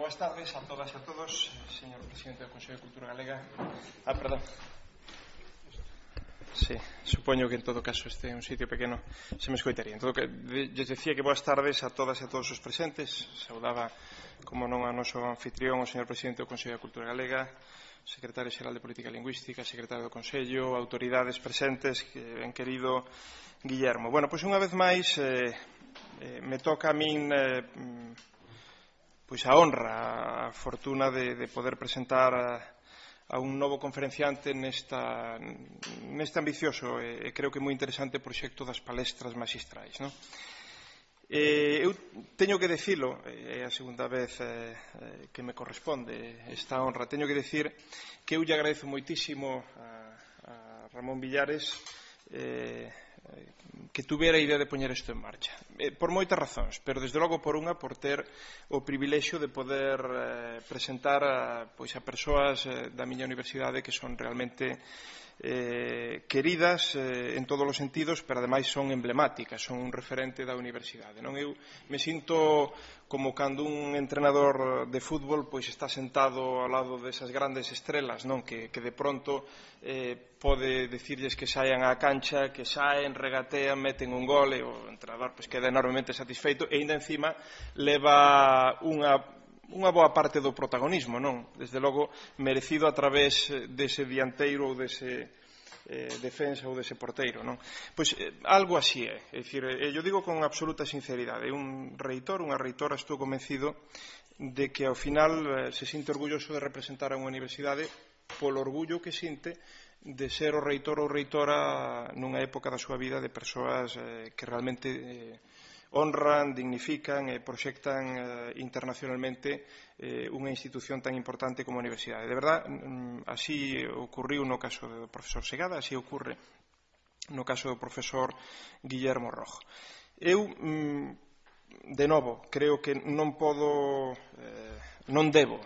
boas tardes a todas e a todos, señor Presidente do Consello de Cultura Galega. Perdón. Sí, supoño que en todo caso este é un sitio pequeno, se me escoitaría. En todo que lles decía que boas tardes a todas e a todos os presentes. Saudaba, como non, a noso anfitrión, o señor Presidente do Consello de Cultura Galega, Secretario Xeral de Política Lingüística, Secretario do Consello, autoridades presentes, ben querido Guillermo. Bueno, pois unha vez máis me toca a min pois a honra, a fortuna de poder presentar a un novo conferenciante neste ambicioso e creo que moi interesante proxecto das palestras maxistrais, non? Eu teño que dicilo, é a segunda vez que me corresponde esta honra, teño que dicir que eu lle agradezo moitísimo a Ramón Villares que tuvera a idea de poñer isto en marcha, por moitas razóns, pero desde logo por unha, por ter o privilexio de poder presentar a persoas da miña universidade que son realmente queridas en todos os sentidos, pero ademais son emblemáticas, son un referente da universidade. Eu me sinto como cando un entrenador de fútbol está sentado ao lado desas grandes estrelas, que de pronto pode dicirlles que saian á cancha, que saen, regatean, meten un gol e o entrenador queda enormemente satisfeito e ainda encima leva unha boa parte do protagonismo, desde logo merecido a través dese dianteiro ou dese defensa ou dese porteiro, Pois algo así é, dicir, eu digo con absoluta sinceridade, un reitor, unha reitora, estou convencido de que ao final se sinte orgulloso de representar a unha universidade polo orgullo que sinte de ser o reitor ou reitora nunha época da súa vida de persoas que realmente honran, dignifican e proxectan internacionalmente unha institución tan importante como a universidade. De verdad, así ocurriu no caso do profesor Segada, así ocurre no caso do profesor Guillermo Rojo. Eu, de novo, creo que non debo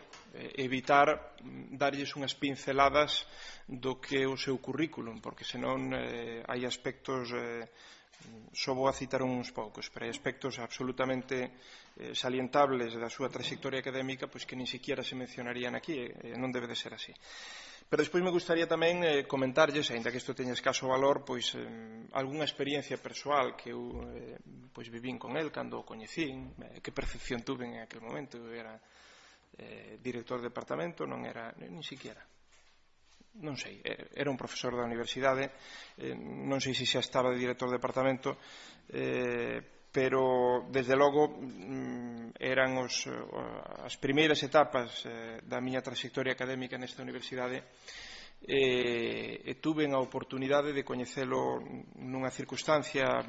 evitar darlles unhas pinceladas do que é o seu currículum, porque senón hai aspectos só vou a citar uns poucos, pero hai aspectos absolutamente salientables da súa trayectoria académica que nin siquiera se mencionarían aquí, e non debe de ser así. Pero despois me gustaría tamén comentarlles, aínda que isto teña escaso valor, algunha experiencia persoal que eu vivín con el cando o coñecín, que percepción tuve en aquel momento. Eu era director de departamento, non era nin siquiera, non sei, era un profesor da universidade, non sei se xa estaba de director de departamento, pero desde logo eran as primeiras etapas da miña trayectoria académica nesta universidade e tuve a oportunidade de coñecelo nunha circunstancia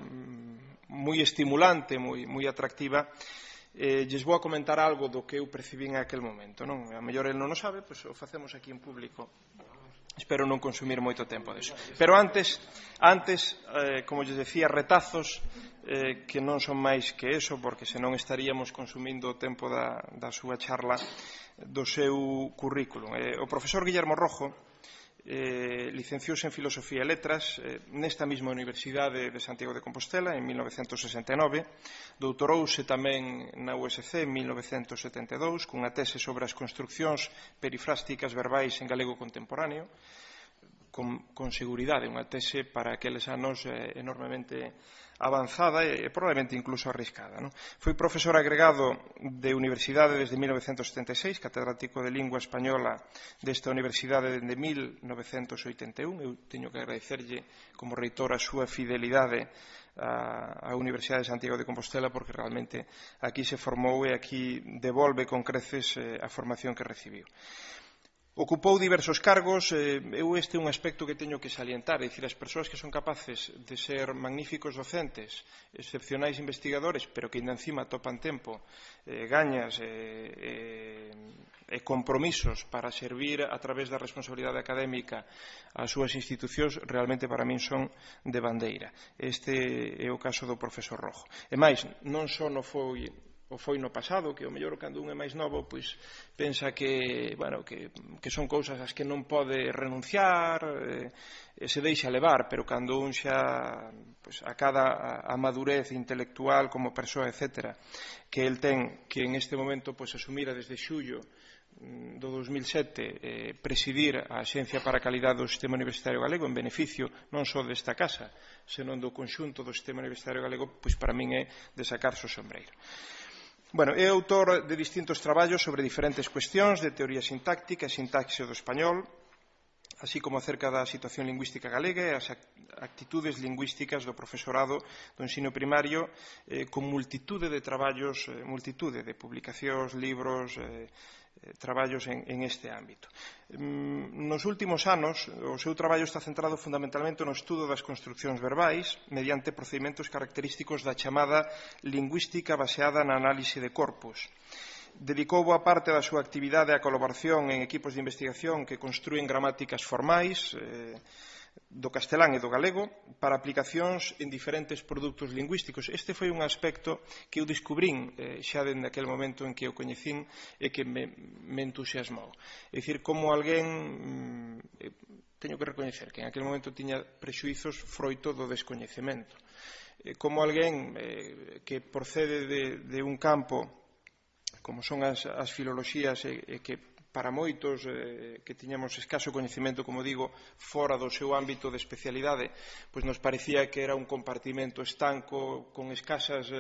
moi estimulante, moi atractiva. Lles vou a comentar algo do que eu percibín en aquel momento, a mellor el non o sabe, o facemos aquí en público. Espero non consumir moito tempo deso. Pero antes, como lles decía, retazos que non son máis que eso, porque senón estaríamos consumindo o tempo da súa charla do seu currículum. O profesor Guillermo Rojo licenciouse en Filosofía e Letras nesta mesma Universidade de Santiago de Compostela en 1969, doutorouse tamén na USC en 1972 cunha tese sobre as construccións perifrásticas verbais en galego contemporáneo, con seguridade unha tese para aqueles anos enormemente avanzada e probablemente incluso arriscada. Foi profesor agregado de Universidade desde 1976, catedrático de Lingua Española desta Universidade desde 1981. Eu teño que agradecerlle como reitor a súa fidelidade á Universidade de Santiago de Compostela porque realmente aquí se formou e aquí devolve con creces a formación que recibiu. Ocupou diversos cargos, este é un aspecto que teño que salientar, é dicir, as persoas que son capaces de ser magníficos docentes, excepcionais investigadores, pero que ainda encima topan tempo, gañas e compromisos para servir a través da responsabilidade académica ás súas institucións, realmente para min son de bandeira. Este é o caso do profesor Rojo. E máis, non só non foi o foi no pasado, que o mellor cando un é máis novo pois pensa que son cousas ás que non pode renunciar, se deixa levar, pero cando un xa acada a madurez intelectual como persoa, etc., que el ten que en este momento asumira desde xullo do 2007 presidir a Axencia para a Calidade do Sistema Universitario Galego en beneficio non só desta casa, senón do conxunto do Sistema Universitario Galego, pois para min é de sacarse o sombreiro. É autor de distintos traballos sobre diferentes cuestións de teoría sintáctica e sintaxe do español, así como acerca da situación lingüística galega e as actitudes lingüísticas do profesorado do ensino primario, con multitude de traballos, multitude de publicacións, libros, traballos en este ámbito. Nos últimos anos, o seu traballo está centrado fundamentalmente no estudo das construccións verbais mediante procedimentos característicos da chamada lingüística baseada na análise de corpus. Dedicou boa parte da súa actividade á colaboración en equipos de investigación que construen gramáticas formais do castelán e do galego para aplicacións en diferentes produtos lingüísticos. Este foi un aspecto que eu descubrín xa dende aquel momento en que o coñecín e que me entusiasmou. É dicir, como alguén, teño que recoñecer que en aquel momento tiña prexuizos froito do descoñecemento. Como alguén que procede de un campo como son as filoloxías e que para moitos que tiñamos escaso coñecemento, como digo, fora do seu ámbito de especialidade, pois nos parecía que era un compartimento estanco con escasas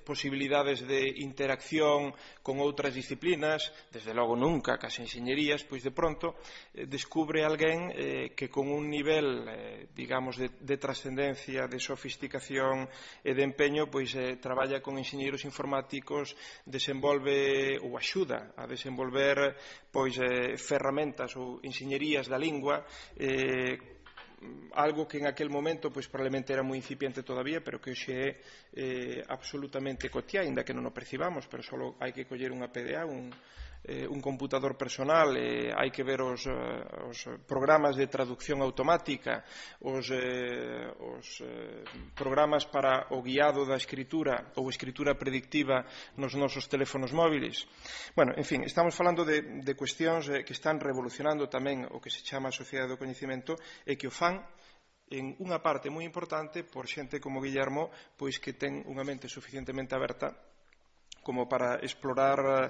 posibilidades de interacción con outras disciplinas, desde logo nunca cas enxeñerías, pois de pronto descubre alguén que con un nivel, digamos, de trascendencia, de sofisticación e de empeño, pois traballa con enxeñeiros informáticos, desenvolve ou axuda a desenvolver pois ferramentas ou enxeñerías da lingua, algo que en aquel momento pois probablemente era moi incipiente todavía, pero que hoxe é absolutamente cotiá, ainda que non o percibamos, pero só hai que coller unha PDA, un computador personal, hai que ver os programas de traducción automática, os programas para o guiado da escritura ou escritura predictiva nos nosos teléfonos móviles. En fin, estamos falando de cuestións que están revolucionando tamén o que se chama a sociedade do coñecemento e que o fan en unha parte moi importante por xente como Guillermo, pois que ten unha mente suficientemente aberta como para explorar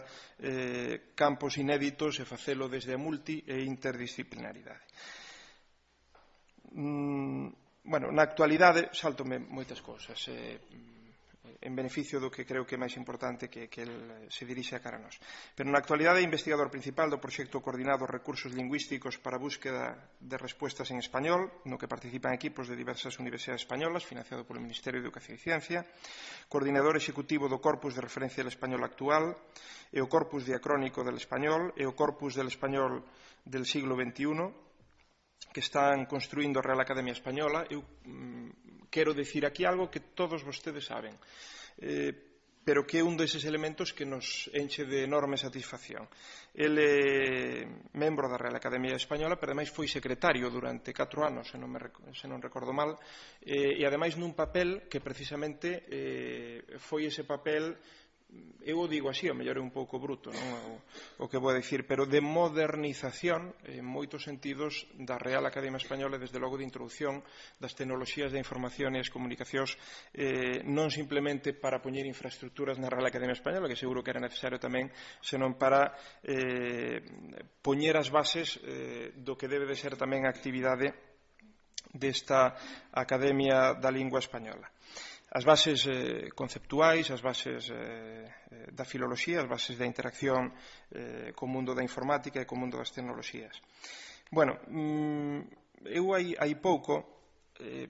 campos inéditos e facelo desde a multi e interdisciplinaridade. Na actualidade, saltome moitas cousas, en beneficio do que creo que é máis importante que el se dirixe a cara a nós. Pero na actualidade é investigador principal do proxecto coordinado Recursos Lingüísticos para a búsqueda de respuestas en español, no que participan equipos de diversas universidades españolas, financiado polo Ministerio de Educación e Ciencia, coordinador executivo do Corpus de Referencia del Español Actual, e o Corpus Diacrónico del Español, e o Corpus del Español del siglo XXI, que están construindo a Real Academia Española. Eu quero dicir aquí algo que todos vostedes saben, pero que é un deses elementos que nos enche de enorme satisfacción. El é membro da Real Academia Española, pero ademais foi secretario durante 4 anos, se non recordo mal, e ademais nun papel que precisamente foi ese papel, eu o digo así, o mellor é un pouco bruto o que vou a dicir, pero de modernización en moitos sentidos da Real Academia Española, desde logo de introducción das tecnoloxías da información e as comunicacións, non simplemente para poñer infraestructuras na Real Academia Española, que seguro que era necesario tamén, senón para poñer as bases do que debe de ser tamén a actividade desta Academia da Lingua Española. As bases conceptuais, as bases da filoloxía, as bases da interacción co mundo da informática e co mundo das tecnoloxías. Eu hai pouco,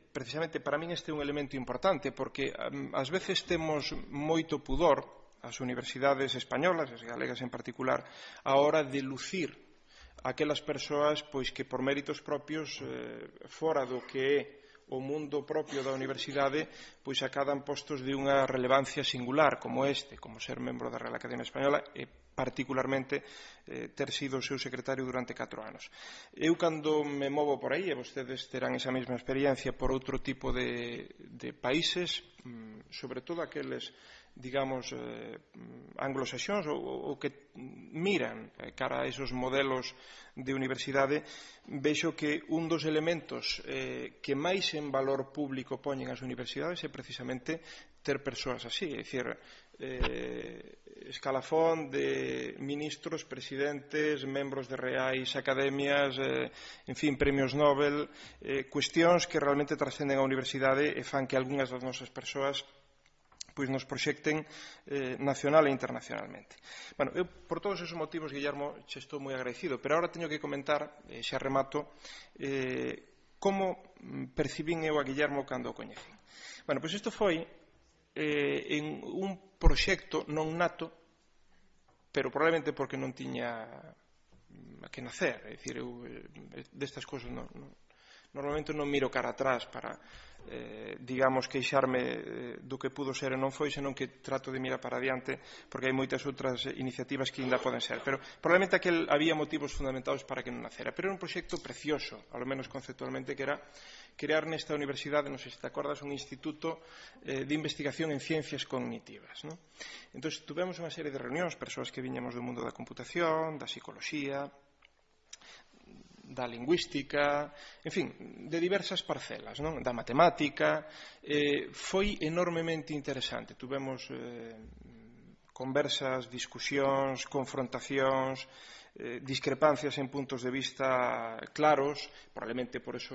precisamente para min este é un elemento importante, porque ás veces temos moito pudor, as universidades españolas, as galegas en particular, a hora de lucir aquelas persoas pois que por méritos propios, fora do que é o mundo propio da universidade, pois acadan postos de unha relevancia singular como este, como ser membro da Real Academia Española e particularmente ter sido o seu secretario durante 4 anos. Eu cando me movo por aí, e vostedes terán esa mesma experiencia por outro tipo de países, sobre todo aqueles digamos, anglosaxóns ou que miran cara a esos modelos de universidade, vexo que un dos elementos que máis en valor público poñen as universidades é precisamente ter persoas así, é dicir, escalafón de ministros, presidentes, membros de reais academias, en fin, premios Nobel, cuestións que realmente trascenden a universidade e fan que algunhas das nosas persoas pois nos proxecten nacional e internacionalmente. Bueno, eu por todos esos motivos, Guillermo, che estou moi agradecido, pero agora teño que comentar, xa remato, como percibín eu a Guillermo cando o coñecín. Bueno, pois isto foi en un proxecto non nato, pero probablemente porque non tiña que nacer, é dicir, eu destas cousas normalmente non miro cara atrás para, digamos, queixarme do que pudo ser e non foi, senón que trato de mirar para adiante, porque hai moitas outras iniciativas que ainda poden ser. Pero probablemente aquel había motivos fundamentados para que non nacera. Pero era un proxecto precioso, ao menos conceptualmente, que era crear nesta universidade, non sei se te acordas, un instituto de investigación en ciencias cognitivas. Entón, tuvemos unha serie de reunións, persoas que viñamos do mundo da computación, da psicoloxía, da lingüística, en fin, de diversas parcelas, da matemática. Foi enormemente interesante. Tuvemos conversas, discusións, confrontacións, discrepancias en puntos de vista claros, probablemente por eso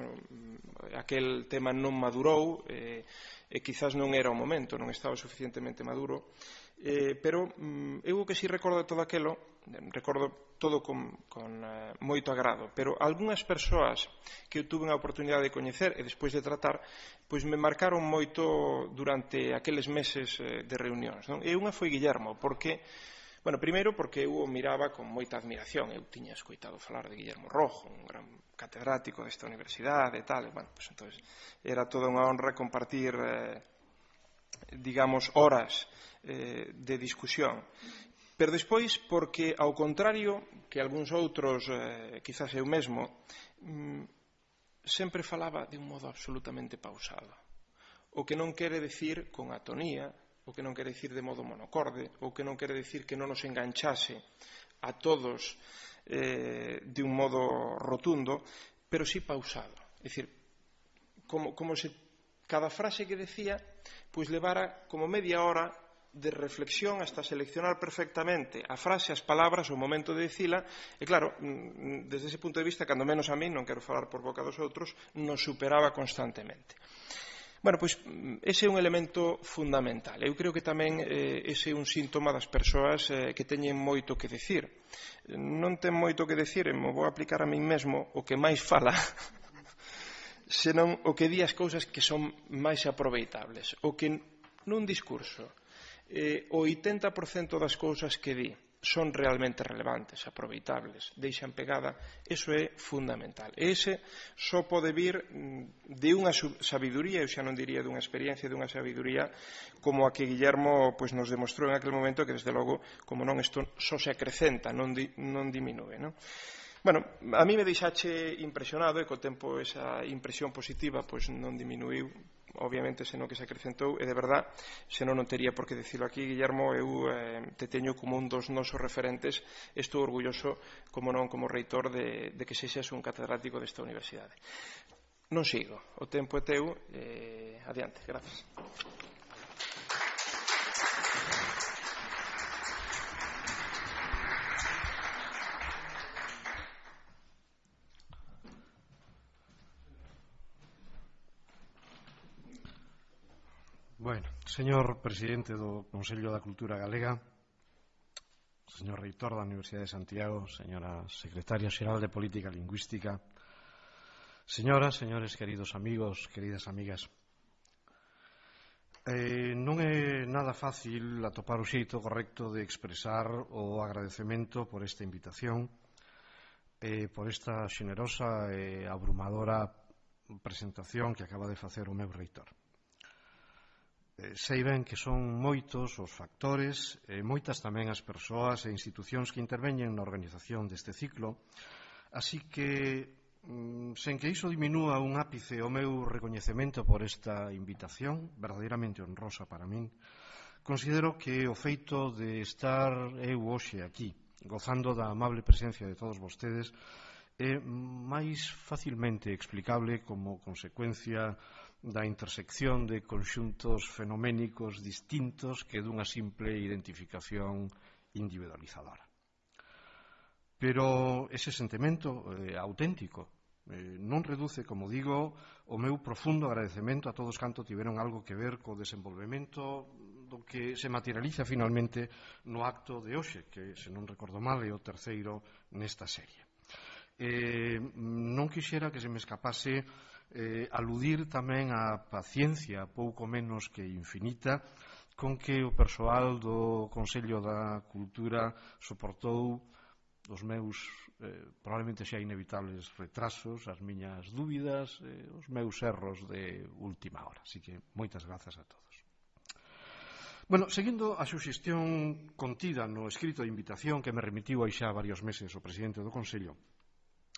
aquel tema non madurou, e quizás non era o momento, non estaba suficientemente maduro, pero eu que si recordo todo aquilo, recordo todo con moito agrado, pero algunhas persoas que eu tuve a oportunidade de coñecer e despois de tratar, pois me marcaron moito durante aqueles meses de reunións. E unha foi Guillermo, porque, bueno, primeiro porque eu o miraba con moita admiración. Eu tiña escoitado falar de Guillermo Rojo, un gran catedrático desta universidade e tal, e, bueno, pois entonces era toda unha honra compartir, digamos, horas de discusión. Pero despois, porque, ao contrario que algúns outros, quizás eu mesmo, sempre falaba de un modo absolutamente pausado. O que non quere decir con atonía, o que non quere decir de modo monocorde, o que non quere decir que non nos enganchase a todos de un modo rotundo, pero sí pausado. É dicir, como se cada frase que decía pois levara como media hora de reflexión hasta seleccionar perfectamente a frase, as palabras, o momento de dicila, e claro, desde ese punto de vista, cando menos a mí, non quero falar por boca dos outros, nos superaba constantemente. Bueno, pois ese é un elemento fundamental. Eu creo que tamén ese é un síntoma das persoas que teñen moito que decir. Non ten moito que decir, e me vou aplicar a min mesmo o que máis fala, senón o que di as cousas que son máis aproveitables. O que nun discurso o 80% das cousas que di son realmente relevantes, aproveitables, deixan pegada, eso é fundamental. E ese só pode vir de unha sabiduría, eu xa non diría dunha experiencia, dunha sabiduría como a que Guillermo pois, nos demostrou en aquel momento, que desde logo, como non, isto só se acrecenta, non diminúe, non? Bueno, a mí me deixache impresionado e co tempo esa impresión positiva pois non diminuiu, obviamente, senón que se acrecentou, e de verdad, senón non tería por que dicilo aquí, Guillermo, eu te teño como un dos nosos referentes, estou orgulloso, como non, como reitor de que sexas un catedrático desta universidade. Non sigo, o tempo é teu, adiante, grazas. Bueno, señor presidente do Consello da Cultura Galega, señor reitor da Universidade de Santiago, señora secretaria xeral de Política Lingüística, señoras, señores, queridos amigos, queridas amigas, non é nada fácil atopar o xeito correcto de expresar o agradecemento por esta invitación e por esta xenerosa e abrumadora presentación que acaba de facer o meu reitor. Sei ben que son moitos os factores e moitas tamén as persoas e institucións que interveñen na organización deste ciclo, así que, sen que iso diminúa un ápice o meu recoñecemento por esta invitación, verdadeiramente honrosa para min, considero que o feito de estar eu hoxe aquí, gozando da amable presencia de todos vostedes, é máis facilmente explicable como consecuencia da intersección de conxuntos fenoménicos distintos que dunha simple identificación individualizadora. Pero ese sentimento auténtico non reduce, como digo, o meu profundo agradecemento a todos canto tiveron algo que ver co desenvolvemento do que se materializa finalmente no acto de hoxe, que, se non recordo mal, é o terceiro nesta serie. Non quixera que se me escapase aludir tamén á paciencia pouco menos que infinita con que o persoal do Consello da Cultura soportou os meus probablemente xa inevitables retrasos, as miñas dúbidas, os meus erros de última hora. Así que moitas grazas a todos. Bueno, seguindo a suxestión contida no escrito de invitación que me remitiu hai xa varios meses o presidente do Consello,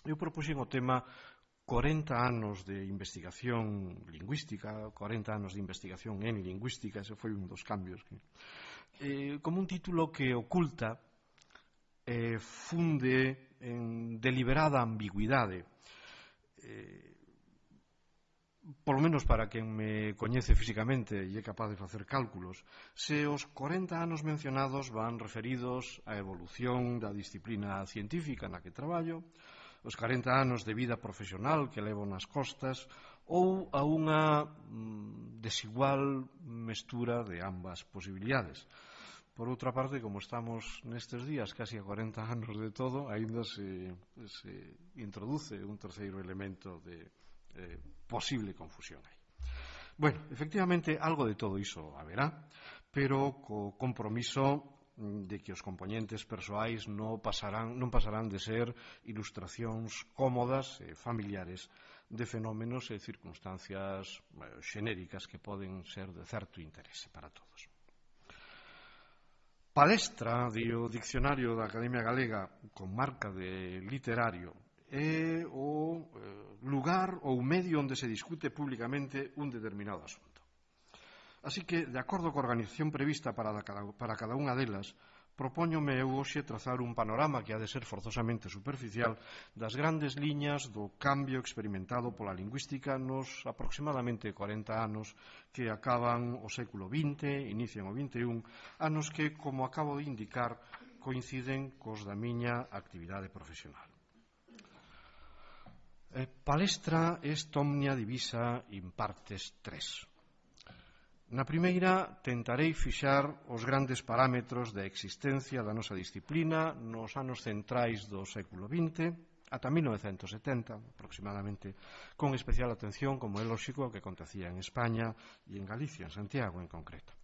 eu propuxen o tema 40 anos de investigación lingüística, 40 anos de investigación en lingüística, ese foi un dos cambios, como un título que oculta, funde en deliberada ambigüidade, polo menos para quen me coñece físicamente e é capaz de facer cálculos, se os 40 anos mencionados van referidos á evolución da disciplina científica na que traballo, os 40 anos de vida profesional que levo nas costas ou a unha desigual mestura de ambas posibilidades. Por outra parte, como estamos nestes días casi a 40 anos de todo, aínda se introduce un terceiro elemento de posible confusión aí. Bueno, efectivamente, algo de todo iso haberá, pero co compromiso de que os compoñentes persoais non pasarán de ser ilustracións cómodas e familiares de fenómenos e circunstancias xenéricas que poden ser de certo interese para todos. Palestra, di o Diccionario da Academia Galega, con marca de literario, é o lugar ou medio onde se discute públicamente un determinado asunto. Así que, de acordo coa organización prevista para cada unha delas, propóñome eu hoxe trazar un panorama que ha de ser forzosamente superficial das grandes liñas do cambio experimentado pola lingüística nos aproximadamente 40 anos que acaban o século XX, inician o XXI, anos que, como acabo de indicar, coinciden cos da miña actividade profesional. Palestra est omnia divisa in partes tres. Na primeira, tentarei fixar os grandes parámetros da existencia da nosa disciplina nos anos centrais do século XX, ata 1970, aproximadamente, con especial atención, como é lóxico, que acontecía en España e en Galicia, en Santiago en concreto.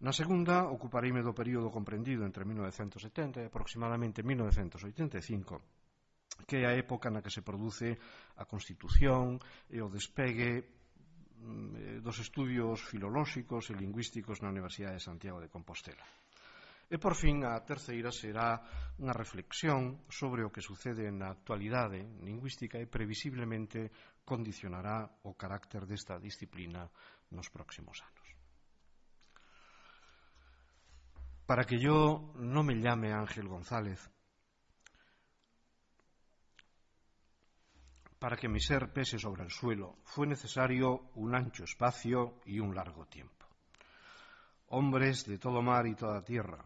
Na segunda, ocupareime do período comprendido entre 1970 e aproximadamente 1985, que é a época na que se produce a constitución e o despegue dos estudios filolóxicos e lingüísticos na Universidade de Santiago de Compostela. E, por fin, a terceira será unha reflexión sobre o que sucede na actualidade lingüística e previsiblemente condicionará o carácter desta disciplina nos próximos anos. Para que yo no me llame Ángel González, para que mi ser pese sobre el suelo, fue necesario un ancho espacio y un largo tiempo. Hombres de todo mar y toda tierra,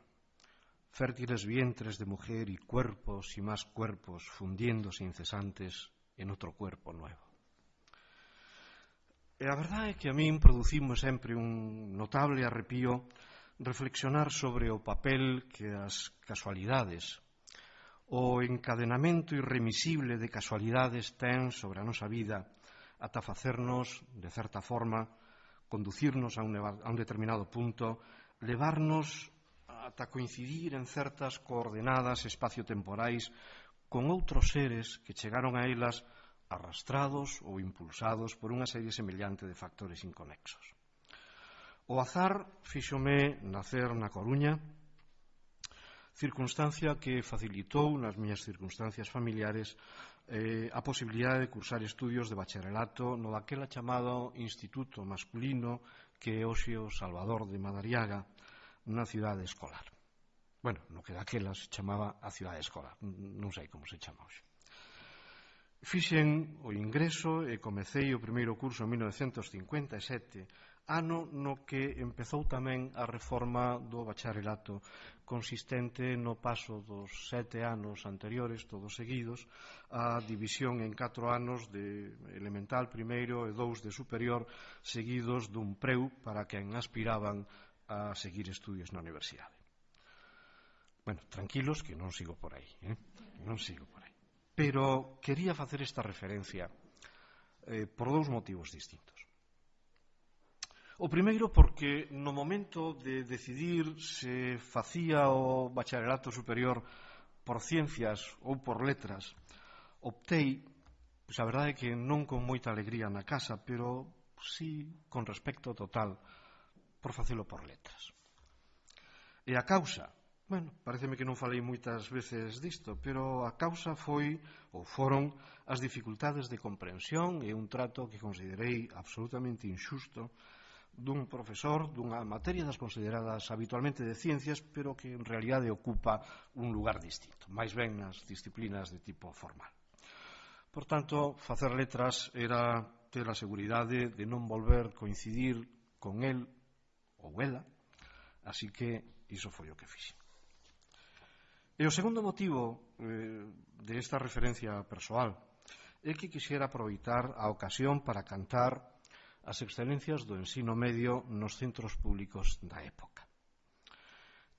fértiles vientres de mujer y cuerpos y más cuerpos fundiéndose incesantes en outro cuerpo nuevo. E a verdade é que a min producimos sempre un notable arrepío reflexionar sobre o papel que as casualidades, o encadenamento irremisible de casualidades ten sobre a nosa vida ata facernos, de certa forma, conducirnos a un determinado punto, levarnos ata coincidir en certas coordenadas espaciotemporais con outros seres que chegaron a elas arrastrados ou impulsados por unha serie semellante de factores inconexos. O azar fíxome nacer na Coruña, circunstancia que facilitou nas miñas circunstancias familiares a posibilidade de cursar estudios de bacharelato no daquela chamado Instituto Masculino que é hoxe o Salvador de Madariaga na cidade escolar. Bueno, no que daquela se chamaba a cidade escolar, non sei como se chama hoxe. Fixen o ingreso e comecei o primeiro curso en 1957, ano no que empezou tamén a reforma do bacharelato, consistente no paso dos 7 anos anteriores, todos seguidos, a división en 4 anos de elemental primeiro e 2 de superior, seguidos dun preu para quen aspiraban a seguir estudios na universidade. Bueno, tranquilos que non sigo por aí, non sigo por aí. Pero quería facer esta referencia por dous motivos distintos. O primeiro porque no momento de decidir se facía o bacharelato superior por ciencias ou por letras, optei, pois a verdade é que non con moita alegría na casa, pero sí con respecto total por facelo por letras. E a causa, bueno, pareceme que non falei moitas veces disto, pero a causa foi ou foron as dificultades de comprensión e un trato que considerei absolutamente injusto dun profesor dunha materia das consideradas habitualmente de ciencias, pero que en realidade ocupa un lugar distinto, máis ben nas disciplinas de tipo formal. Por tanto, facer letras era ter a seguridade de non volver coincidir con el ou ela, así que iso foi o que fixen. E o segundo motivo de esta referencia persoal é que quixera aproveitar a ocasión para cantar as excelencias do ensino medio nos centros públicos da época.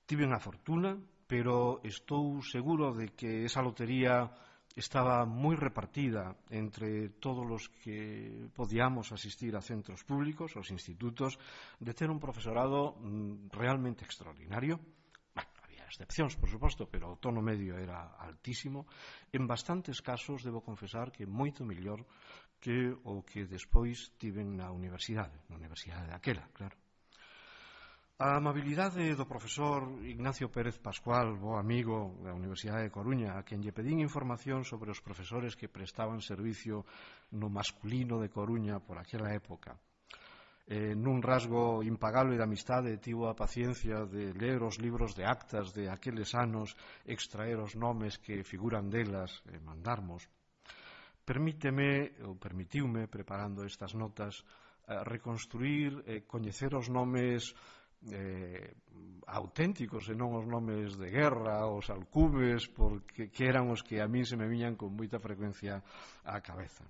Tiven a fortuna, pero estou seguro de que esa lotería estaba moi repartida entre todos os que podíamos asistir a centros públicos, aos institutos, de ter un profesorado realmente extraordinario. Excepcións, por suposto, pero o tono medio era altísimo. En bastantes casos, debo confesar que moito mellor que o que despois tiven na universidade daquela, claro. A amabilidade do profesor Ignacio Pérez Pascual, bo amigo da Universidade de Coruña, a quen lle pedín información sobre os profesores que prestaban servicio no masculino de Coruña por aquela época, nun rasgo impagable de amistade tivo a paciencia de ler os libros de actas de aqueles anos, extraer os nomes que figuran delas e mandarmos. Permitiume, preparando estas notas, reconstruir e coñecer os nomes auténticos e non os nomes de guerra, os alcubes, porque eran os que a min se me viñan con moita frecuencia á cabeza.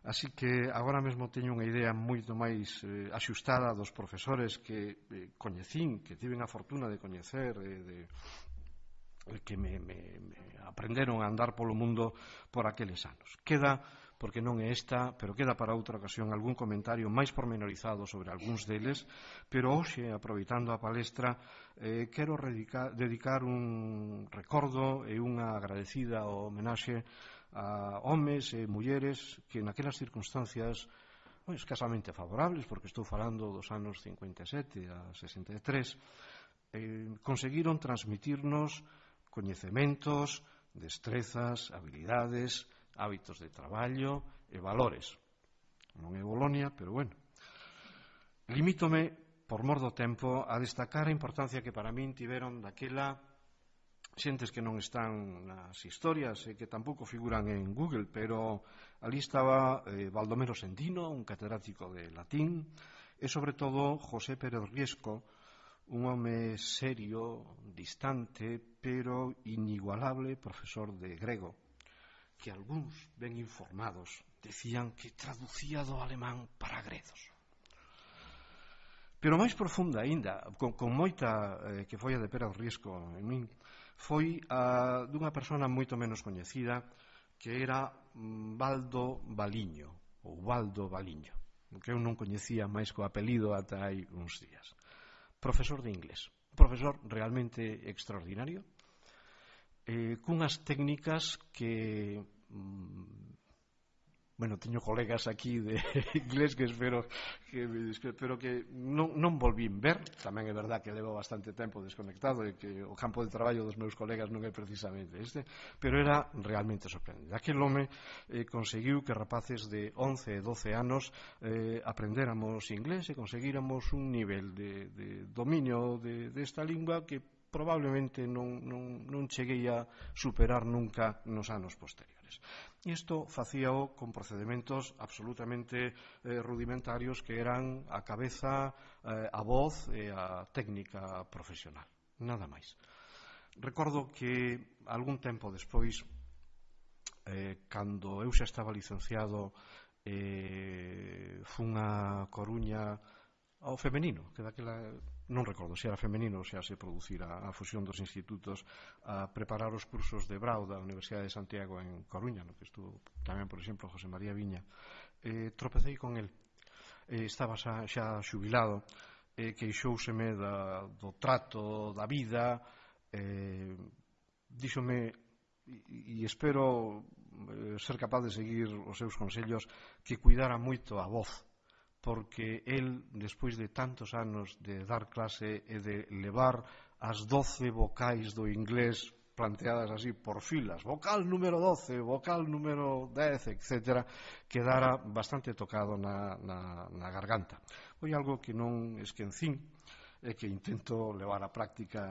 Así que agora mesmo teño unha idea moito máis axustada dos profesores que coñecín, que tiven a fortuna de coñecer, que me aprenderon a andar polo mundo por aqueles anos. Queda, porque non é esta, pero queda para outra ocasión algún comentario máis pormenorizado sobre algúns deles, pero hoxe, aproveitando a palestra, quero dedicar un recordo e unha agradecida homenaxe a homes e mulleres que naquelas circunstancias escasamente favorables, porque estou falando dos anos 57 a 63, conseguiron transmitirnos coñecementos, destrezas, habilidades, hábitos de traballo e valores. Non é Bolonia, pero bueno. Limítome, por mor do tempo, a destacar a importancia que para min tiveron daquela xentes que non están nas historias e que tampouco figuran en Google, pero ali estaba Baldomero Sendino, un catedrático de latín, e sobre todo José Pérez Riesco, un home serio, distante, pero inigualable profesor de grego, que algúns ben informados decían que traducía do alemán para gredos. Pero máis profunda aínda, con moita que foi a de Pérez Riesco en min, foi a dunha persona moito menos coñecida, que era Baldo Baliño, ou Baldo Baliño, que eu non coñecía máis co apelido ata hai uns días. Profesor de inglés, un profesor realmente extraordinario, cunhas técnicas que Bueno, teño colegas aquí de inglés que espero que non volvín ver. Tamén é verdad que levo bastante tempo desconectado e que o campo de traballo dos meus colegas non é precisamente este, pero era realmente sorprendente. Aquel home conseguiu que rapaces de 11 e 12 anos aprendéramos inglés e conseguíramos un nivel de dominio desta lingua que probablemente non cheguei a superar nunca nos anos posteriores. Isto facíao con procedementos absolutamente rudimentarios que eran a cabeza, a voz e a técnica profesional, nada máis. Recordo que algún tempo despois, cando eu xa estaba licenciado, fun a Coruña ao femenino, que daquela non recordo se era femenino ou xa se producira a fusión dos institutos, a preparar os cursos de Brau da Universidade de Santiago en Coruña, no que estuvo tamén, por exemplo, José María Viña. Tropecei con el, estaba xa xubilado, queixóuseme do trato, da vida, díxome, e espero ser capaz de seguir os seus consellos, que cuidara moito a voz, porque el, despois de tantos anos de dar clase e de levar as 12 vocais do inglés planteadas así por filas, vocal número 12, vocal número 10, etc., quedara bastante tocado na garganta. Foi algo que non esquecín e que intento levar á práctica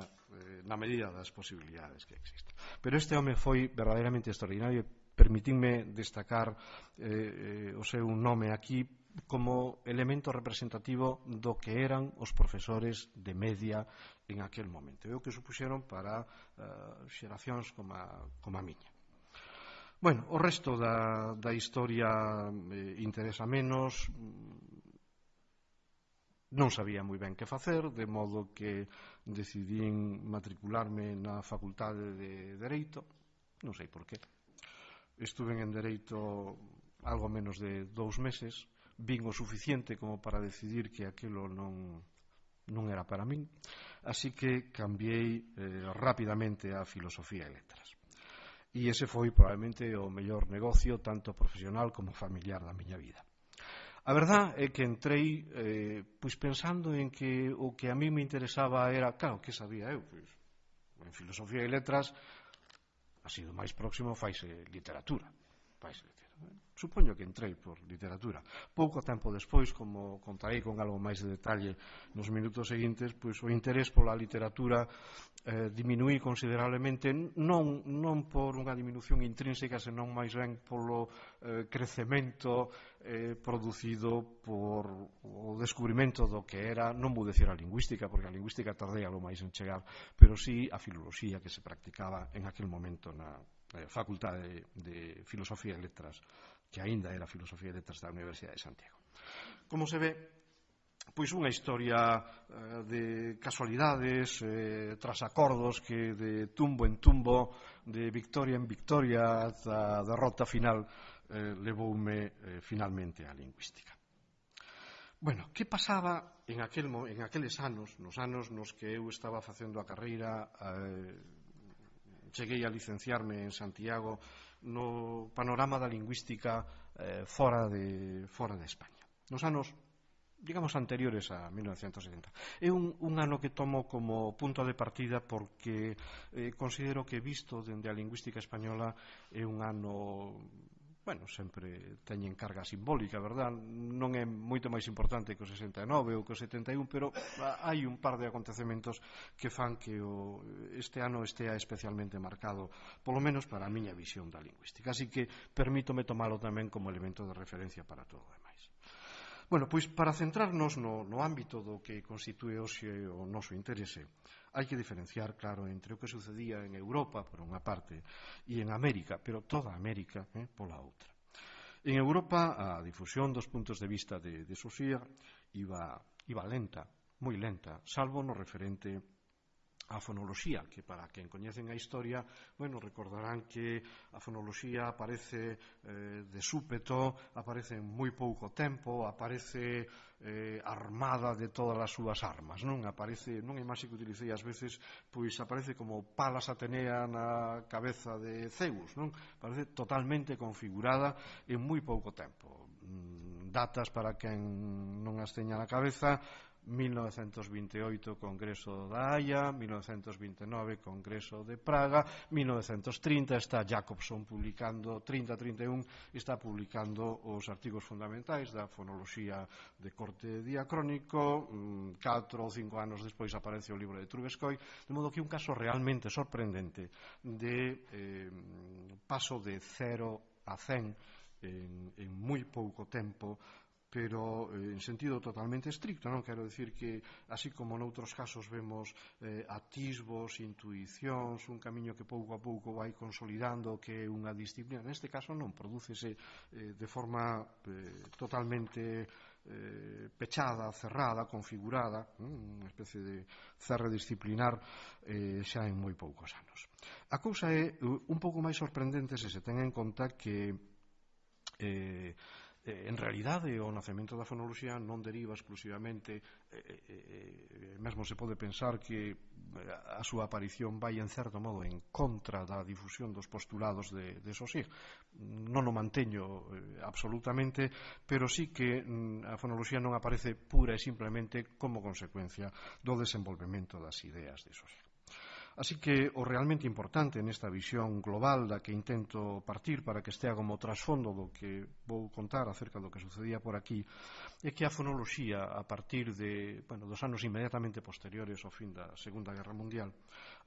na medida das posibilidades que existen. Pero este home foi verdadeiramente extraordinario. Permitidme destacar o seu nome aquí como elemento representativo do que eran os profesores de media en aquel momento, e o que supuxeron para xeracións como a miña. Bueno, o resto da historia interesa menos. Non sabía moi ben que facer, de modo que decidín matricularme na Facultade de Dereito, non sei por qué. Estuve en Dereito algo menos de 2 meses, vin o suficiente como para decidir que aquilo non era para min, así que cambiei rapidamente a Filosofía e Letras. E ese foi probablemente o mellor negocio, tanto profesional como familiar da miña vida. A verdad é que entrei pois pensando en que o que a mí me interesaba era, claro, que sabía eu? Pois, en Filosofía e Letras, así do máis próximo, faise literatura. Supoño que entrei por literatura. Pouco tempo despois, como contarei con algo máis de detalle nos minutos seguintes, pois o interés pola literatura diminuí considerablemente, non por unha diminución intrínseca, senón máis ben polo crecemento producido por o descubrimento do que era, non vou decir a lingüística, porque a lingüística tardei algo máis en chegar, pero sí a filoloxía que se practicaba en aquel momento na Facultade de Filosofía e Letras, que aínda era Filosofía e Letras da Universidade de Santiago. Como se ve, pois unha historia de casualidades, tras acordos que de tumbo en tumbo, de victoria en victoria, da derrota final, levoume finalmente á lingüística. Bueno, que pasaba en aqueles anos, nos anos nos que eu estaba facendo a carreira, cheguei a licenciarme en Santiago, no panorama da lingüística fora de España. Nos anos, digamos, anteriores a 1970. É un ano que tomo como punto de partida porque considero que, visto dende a lingüística española, é un ano, bueno, sempre teñen carga simbólica, verdad? Non é moito máis importante que o 69 ou que o 71, pero hai un par de acontecementos que fan que este ano estea especialmente marcado, polo menos para a miña visión da lingüística. Así que permítome tomalo tamén como elemento de referencia para todo o demais. Bueno, pois para centrarnos no ámbito do que constitúe hoxe o noso interese, hai que diferenciar, claro, entre o que sucedía en Europa, por unha parte, e en América, pero toda América pola outra. En Europa, a difusión dos puntos de vista de Saussure iba lenta, moi lenta, salvo no referente a fonoloxía, que para quen coñecen a historia, bueno, recordarán que a fonoloxía aparece de súpeto, aparece en moi pouco tempo, aparece armada de todas as súas armas, non? Aparece, non é imaxe que utilicei ás veces, pois aparece como Palas Atenea na cabeza de Zeus, non? Aparece totalmente configurada en moi pouco tempo. Datas para quen non as teña na cabeza: 1928 Congreso da Haia, 1929 Congreso de Praga, 1930 está Jacobson publicando, 30-31 está publicando os artigos fundamentais da fonoloxía de corte diacrónico. 4 ou 5 anos despois aparece o libro de Trubetskoy, de modo que un caso realmente sorprendente de paso de 0 a 100 en moi pouco tempo, pero en sentido totalmente estricto, non quero dicir que, así como noutros casos vemos atisbos, intuicións, un camiño que pouco a pouco vai consolidando que é unha disciplina, neste caso non, prodúcese de forma totalmente pechada, cerrada, configurada, unha especie de cerre disciplinar xa en moi poucos anos. A cousa é un pouco máis sorprendente se se ten en conta que en realidade o nacemento da fonoloxía non deriva exclusivamente, mesmo se pode pensar que a súa aparición vai en certo modo en contra da difusión dos postulados de Saussure. Non o manteño absolutamente, pero sí que a fonoloxía non aparece pura e simplemente como consecuencia do desenvolvemento das ideas de Saussure. Así que o realmente importante nesta visión global da que intento partir para que estea como trasfondo do que vou contar acerca do que sucedía por aquí é que a fonoloxía, a partir dos anos inmediatamente posteriores ao fin da Segunda Guerra Mundial,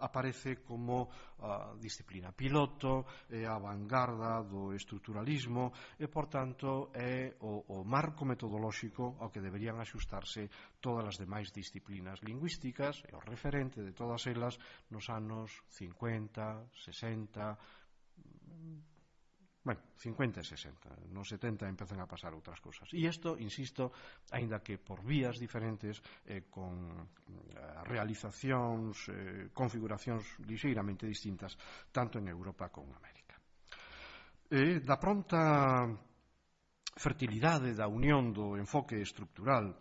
aparece como a disciplina piloto, é a vanguarda do estruturalismo e, por tanto, é o marco metodolóxico ao que deberían axustarse todas as demais disciplinas lingüísticas e o referente de todas elas nos anos 50, 60, 50 e 60. Nos 70 empezan a pasar outras cousas. E isto, insisto, aínda que por vías diferentes, con realizacións, configuracións lixeiramente distintas, tanto en Europa como en América. Da pronta fertilidade da unión do enfoque estructural,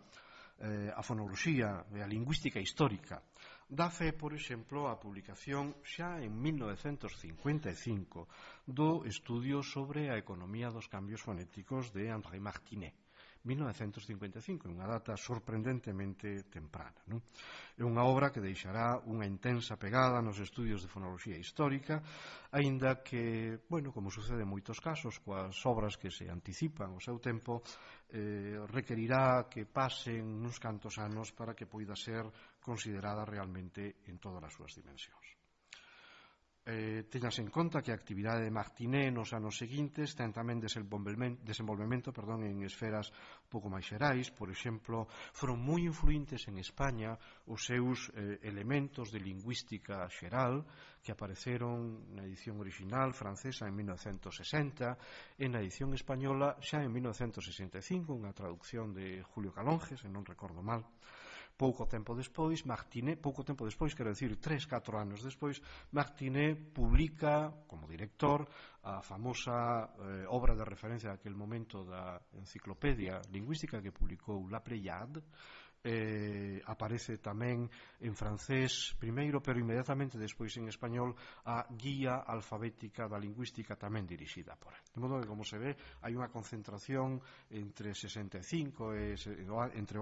a fonoloxía e a lingüística histórica, dá fe, por exemplo, a publicación xa en 1955 do estudio sobre a economía dos cambios fonéticos de André Martinet. 1955, unha data sorprendentemente temprana, non? É unha obra que deixará unha intensa pegada nos estudios de fonoloxía histórica, aínda que, como sucede en moitos casos coas obras que se anticipan ao seu tempo, requerirá que pasen uns cantos anos para que poida ser considerada realmente en todas as súas dimensións. Teñas en conta que a actividade de Martinet nos anos seguintes ten tamén desenvolvemento en esferas pouco máis xerais. Por exemplo, foron moi influíntes en España os seus elementos de lingüística xeral que apareceron na edición original francesa en 1960 e na edición española xa en 1965, unha traducción de Julio Calonge, se non recordo mal. Pouco tempo despois, quero dicir 3-4 anos despois, Martinet publica como director a famosa obra de referencia daquel momento da enciclopedia lingüística que publicou La Pléiade. Aparece tamén en francés primeiro, pero inmediatamente despois en español, a Guía Alfabética da Lingüística, tamén dirixida por él. De modo que, como se ve, hai unha concentración entre o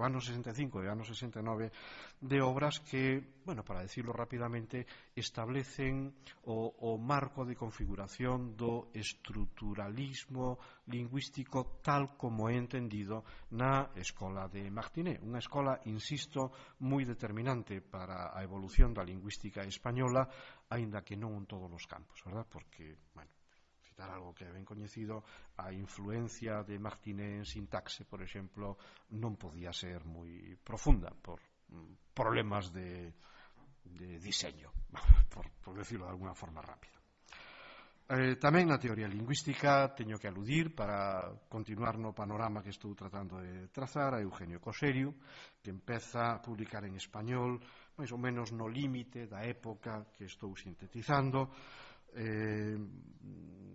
ano 65 e o ano 69 de obras que, para decirlo rapidamente, establecen o marco de configuración do estruturalismo lingüístico tal como é entendido na escola de Martinet, unha escola, insisto, moi determinante para a evolución da lingüística española, aínda que non en todos os campos, verdad? Porque, citar algo que é ben coñecido, a influencia de Martinet en sintaxe, por exemplo, non podía ser moi profunda por problemas de diseño, por decirlo de alguna forma rápida. Tamén na teoría lingüística teño que aludir, para continuar no panorama que estou tratando de trazar, a Eugenio Coserio, que empeza a publicar en español máis ou menos no límite da época que estou sintetizando.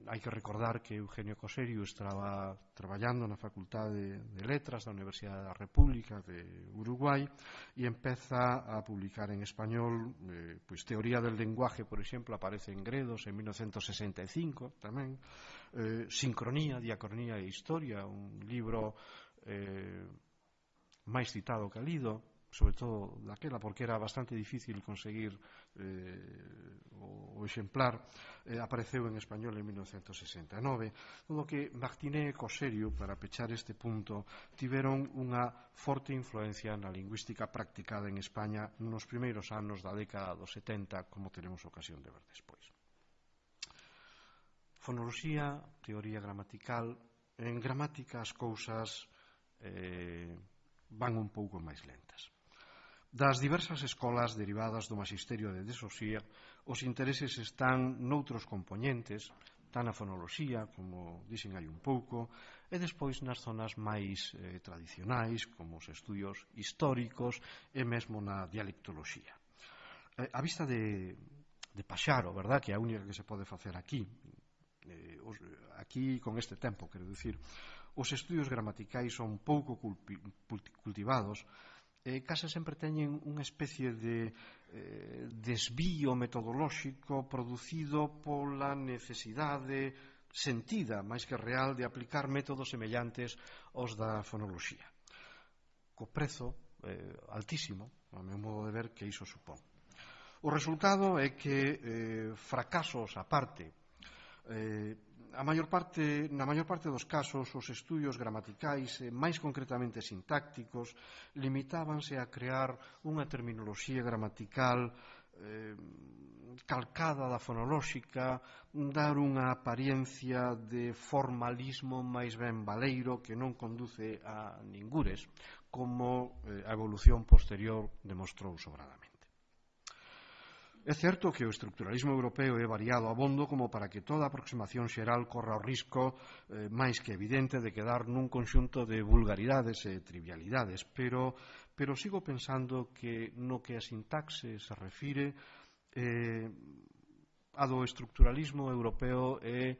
Hai que recordar que Eugenio Coserio estaba traballando na Facultade de Letras da Universidade da República de Uruguai e empeza a publicar en español pois Teoría del lenguaje, por exemplo, aparece en Gredos en 1965 tamén, Sincronía, Diacronía e Historia, un libro máis citado que lido, sobre todo daquela, porque era bastante difícil conseguir o exemplar, apareceu en español en 1969. Todo que Martinet e Coserio, para pechar este punto, tiveron unha forte influencia na lingüística practicada en España nos primeiros anos da década dos 70, como teremos ocasión de ver despois. Fonoloxía, teoría gramatical. En gramática as cousas van un pouco máis lentas. Das diversas escolas derivadas do magisterio de Desosía, os intereses están noutros componentes, tan na fonoloxía, como dixen hai un pouco, e despois nas zonas máis tradicionais, como os estudios históricos e mesmo na dialectoloxía. A vista de Paxaro, verdad, que é a única que se pode facer aquí, aquí con este tempo, quero dicir, os estudios gramaticais son pouco cultivados, case sempre teñen unha especie de desvío metodolóxico producido pola necesidade sentida, máis que real, de aplicar métodos semellantes aos da fonoloxía, co prezo altísimo, ao meu modo de ver, que iso supón. O resultado é que, fracasos a parte, na maior parte dos casos, os estudios gramaticais, máis concretamente sintácticos, limitábanse a crear unha terminoloxía gramatical calcada da fonolóxica, dar unha apariencia de formalismo máis ben baleiro que non conduce a ningures, como a evolución posterior demostrou sobradamente. É certo que o estructuralismo europeo é variado abondo como para que toda aproximación xeral corra o risco máis que evidente de quedar nun conxunto de vulgaridades e trivialidades, pero sigo pensando que no que a sintaxe se refire, a do estructuralismo europeo é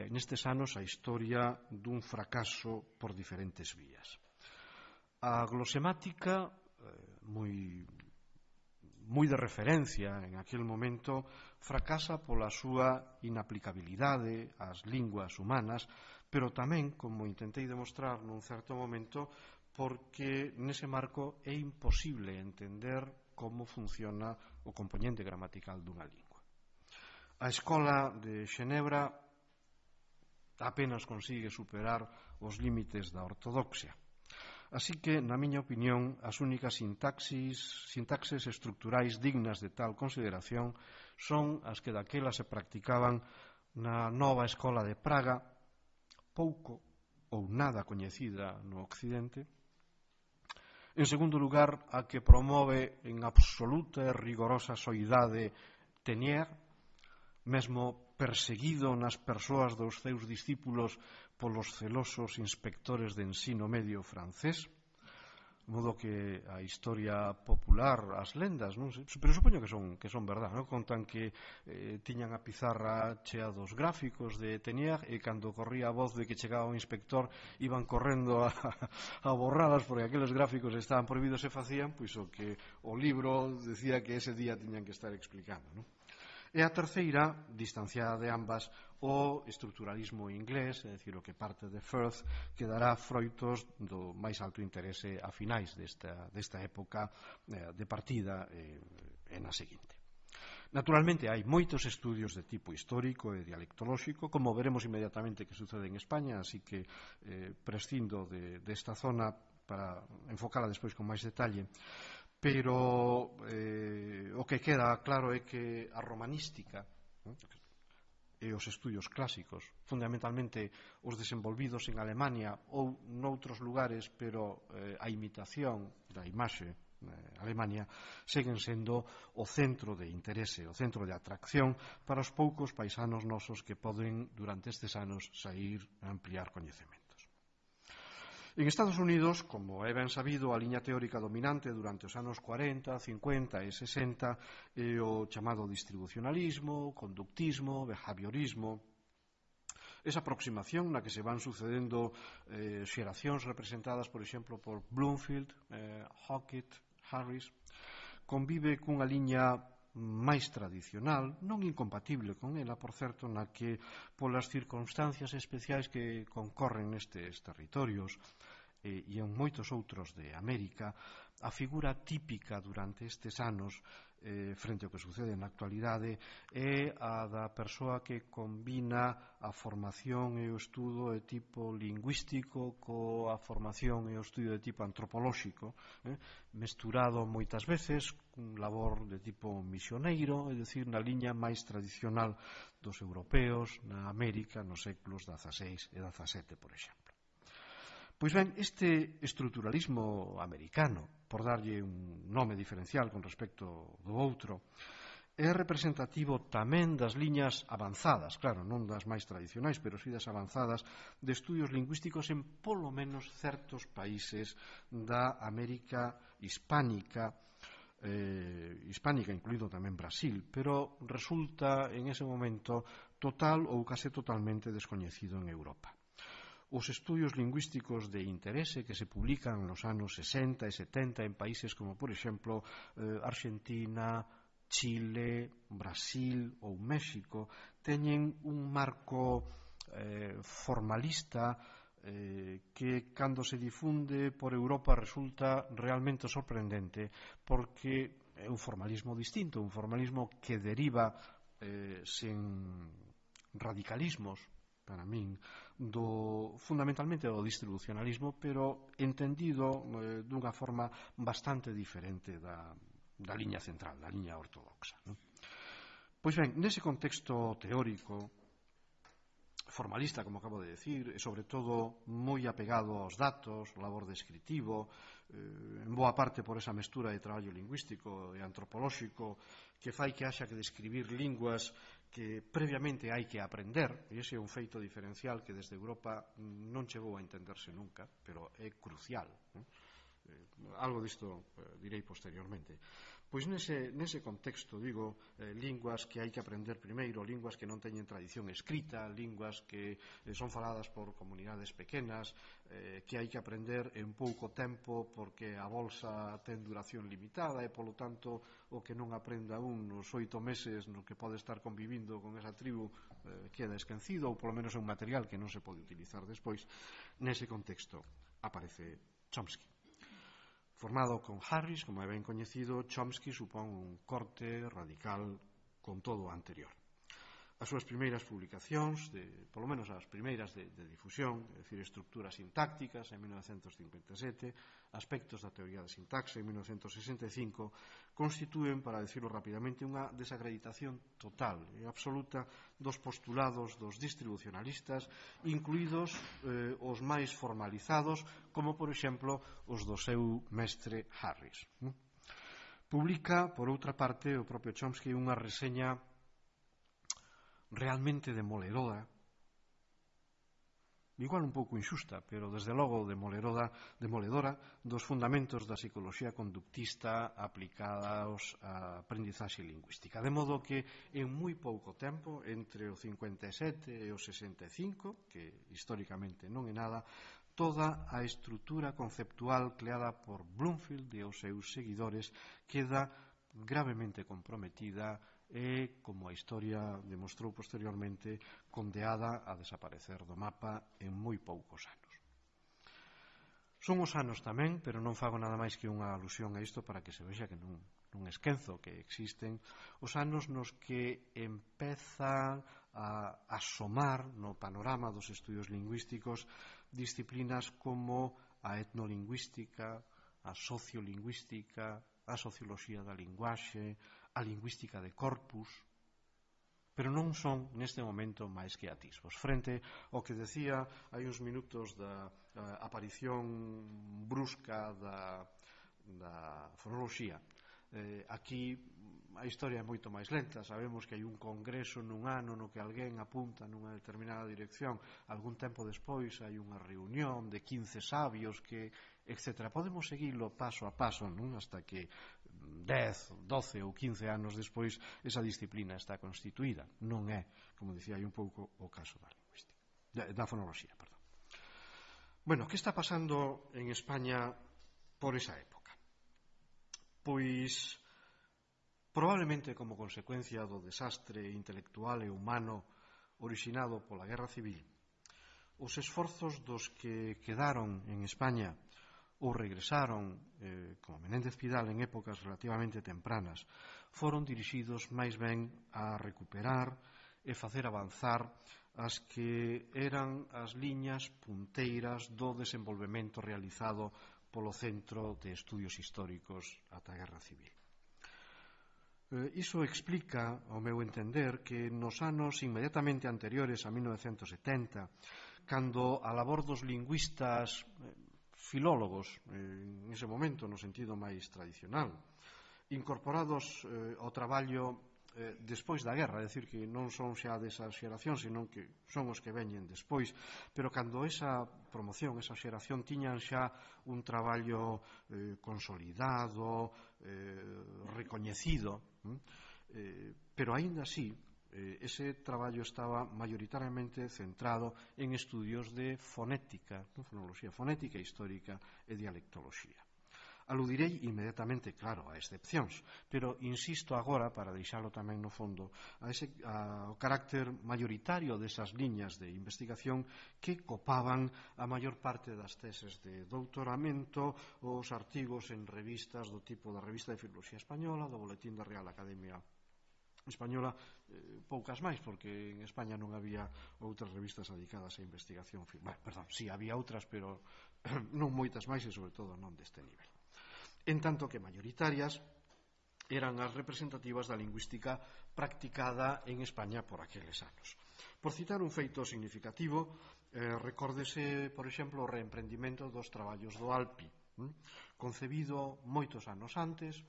nestes anos a historia dun fracaso por diferentes vías. A glosemática, moi de referencia en aquel momento, fracasa pola súa inaplicabilidade ás linguas humanas, pero tamén, como intentei demostrar nun certo momento, porque nese marco é imposible entender como funciona o componente gramatical dunha lingua. A escola de Xenebra apenas consigue superar os límites da ortodoxia. Así que, na miña opinión, as únicas sintaxes estructurais dignas de tal consideración son as que daquela se practicaban na nova escola de Praga, pouco ou nada coñecida no Occidente. En segundo lugar, a que promove en absoluta e rigorosa soidade Teniers, mesmo perseguido nas persoas dos seus discípulos polos celosos inspectores de ensino medio francés, modo que a historia popular, as lendas, non sei, pero supoño que son verdad, non? Contan que tiñan a pizarra chea dos gráficos de Teniers e cando corría a voz de que chegaba o inspector iban correndo a borradas porque aqueles gráficos estaban prohibidos e facían pois o que o libro decía que ese día tiñan que estar explicando, non? E a terceira, distanciada de ambas, o estructuralismo inglés, é dicir, o que parte de Firth, que dará froitos do máis alto interese a finais desta época de partida e na seguinte. Naturalmente, hai moitos estudios de tipo histórico e dialectolóxico, como veremos inmediatamente que sucede en España, así que prescindo desta zona para enfocala despois con máis detalle. Pero o que queda claro é que a romanística e os estudios clásicos, fundamentalmente os desenvolvidos en Alemania ou noutros lugares, pero a imitación da imaxe Alemania, seguen sendo o centro de interese, o centro de atracción para os poucos paisanos nosos que poden, durante estes anos, sair a ampliar coñecementos. En Estados Unidos, como é ben sabido, a liña teórica dominante durante os anos 40, 50 e 60 é o chamado distribucionalismo, conductismo, behaviorismo. Esa aproximación na que se van sucedendo xeracións representadas, por exemplo, por Bloomfield, Hockett, Harris, convive cunha liña máis tradicional, non incompatible con ela, por certo, na que polas circunstancias especiais que concorren nestes territorios e en moitos outros de América, a figura típica durante estes anos frente ao que sucede na actualidade é a da persoa que combina a formación e o estudo de tipo lingüístico coa formación e o estudo de tipo antropolóxico, mesturado moitas veces cun labor de tipo misioneiro, é dicir, na liña máis tradicional dos europeos na América nos séculos XVI e XVII, por exemplo. Pois ben, este estruturalismo americano, por darlle un nome diferencial con respecto do outro, é representativo tamén das liñas avanzadas, claro, non das máis tradicionais, pero sí das avanzadas, de estudios lingüísticos en polo menos certos países da América hispánica, incluído tamén Brasil, pero resulta en ese momento total ou case totalmente descoñecido en Europa. Os estudios lingüísticos de interese que se publican nos anos 60 e 70 en países como, por exemplo, Argentina, Chile, Brasil ou México, teñen un marco formalista que, cando se difunde por Europa, resulta realmente sorprendente, porque é un formalismo distinto, un formalismo que deriva sen radicalismos, para min, fundamentalmente do distribucionalismo, pero entendido dunha forma bastante diferente da liña central, da liña ortodoxa. Pois ben, nese contexto teórico, formalista, como acabo de decir, e sobre todo moi apegado aos datos, o labor descritivo, en boa parte por esa mestura de traballo lingüístico e antropolóxico que fai que haxa que describir linguas que previamente hai que aprender, e ese é un feito diferencial que desde Europa non chegou a entenderse nunca, pero é crucial. Algo disto direi posteriormente. Pois nese contexto, digo, linguas que hai que aprender primeiro, linguas que non teñen tradición escrita, linguas que son faladas por comunidades pequenas, que hai que aprender en pouco tempo porque a bolsa ten duración limitada e, polo tanto, o que non aprenda un nos 8 meses no que pode estar convivindo con esa tribu queda esquecido, ou polo menos é un material que non se pode utilizar despois. Nese contexto aparece Chomsky. Formado con Harris, como é ben coñecido, Chomsky supón un corte radical con todo o anterior. As súas primeiras publicacións, polo menos as primeiras de difusión, é dicir, estructuras sintácticas en 1957, aspectos da teoría da sintaxe en 1965, constitúen, para decirlo rapidamente, unha desacreditación total e absoluta dos postulados dos distribucionalistas, incluídos os máis formalizados, como, por exemplo, os do seu mestre Harris. Publica, por outra parte, o propio Chomsky unha reseña realmente demoledora, igual un pouco inxusta, pero desde logo demoledora dos fundamentos da psicoloxía conductista aplicados á aprendizaxe lingüística. De modo que en moi pouco tempo, entre o 57 e o 65, que históricamente non é nada, toda a estrutura conceptual creada por Bloomfield e os seus seguidores queda gravemente comprometida e, como a historia demostrou posteriormente, condeada a desaparecer do mapa en moi poucos anos. Son os anos tamén, pero non fago nada máis que unha alusión a isto para que se vexa que non esquenzo que existen os anos nos que empezan a asomar no panorama dos estudios lingüísticos disciplinas como a etnolingüística, a sociolingüística, a socioloxía da linguaxe, a lingüística de corpus, pero non son neste momento máis que atisbos. Frente ao que decía hai uns minutos da aparición brusca da fonoloxía Aquí a historia é moito máis lenta. Sabemos que hai un congreso nun ano no que alguén apunta nunha determinada dirección, algún tempo despois hai unha reunión de 15 sabios que, etc. Podemos seguilo paso a paso, non? Hasta que 10, 12 ou 15 anos despois esa disciplina está constituída. Non é, como dicía hai un pouco, o caso da lingüística, da fonoloxía, perdón. Bueno, que está pasando en España por esa época? Pois probablemente como consecuencia do desastre intelectual e humano orixinado pola Guerra Civil, os esforzos dos que quedaron en España ou regresaron, como Menéndez Pidal en épocas relativamente tempranas, foron dirixidos máis ben a recuperar e facer avanzar as que eran as liñas punteiras do desenvolvemento realizado polo Centro de Estudios Históricos ata a Guerra Civil. Iso explica, ao meu entender, que nos anos inmediatamente anteriores a 1970, cando a labor dos lingüistas filólogos, en ese momento no sentido máis tradicional, incorporados ao traballo despois da guerra, é dicir, que non son xa desa xeración, senón que son os que veñen despois, pero cando esa promoción, esa xeración tiñan xa un traballo consolidado, recoñecido, pero aínda así ese traballo estaba maioritariamente centrado en estudios de fonética, fonoloxía fonética, histórica e dialectoloxía. Aludirei inmediatamente, claro, a excepcións, pero insisto agora, para deixalo tamén no fondo, ao carácter mayoritario desas liñas de investigación que copaban a maior parte das teses de doutoramento, os artigos en revistas do tipo da Revista de Filoloxía Española, do Boletín da Real Academia Española, poucas máis, porque en España non había outras revistas dedicadas a investigación. Perdón, sí, había outras, pero non moitas máis e, sobre todo, non deste nivel. En tanto que maioritarias eran as representativas da lingüística practicada en España por aqueles anos. Por citar un feito significativo, recórdese, por exemplo, o reemprendimento dos traballos do ALPI, concebido moitos anos antes,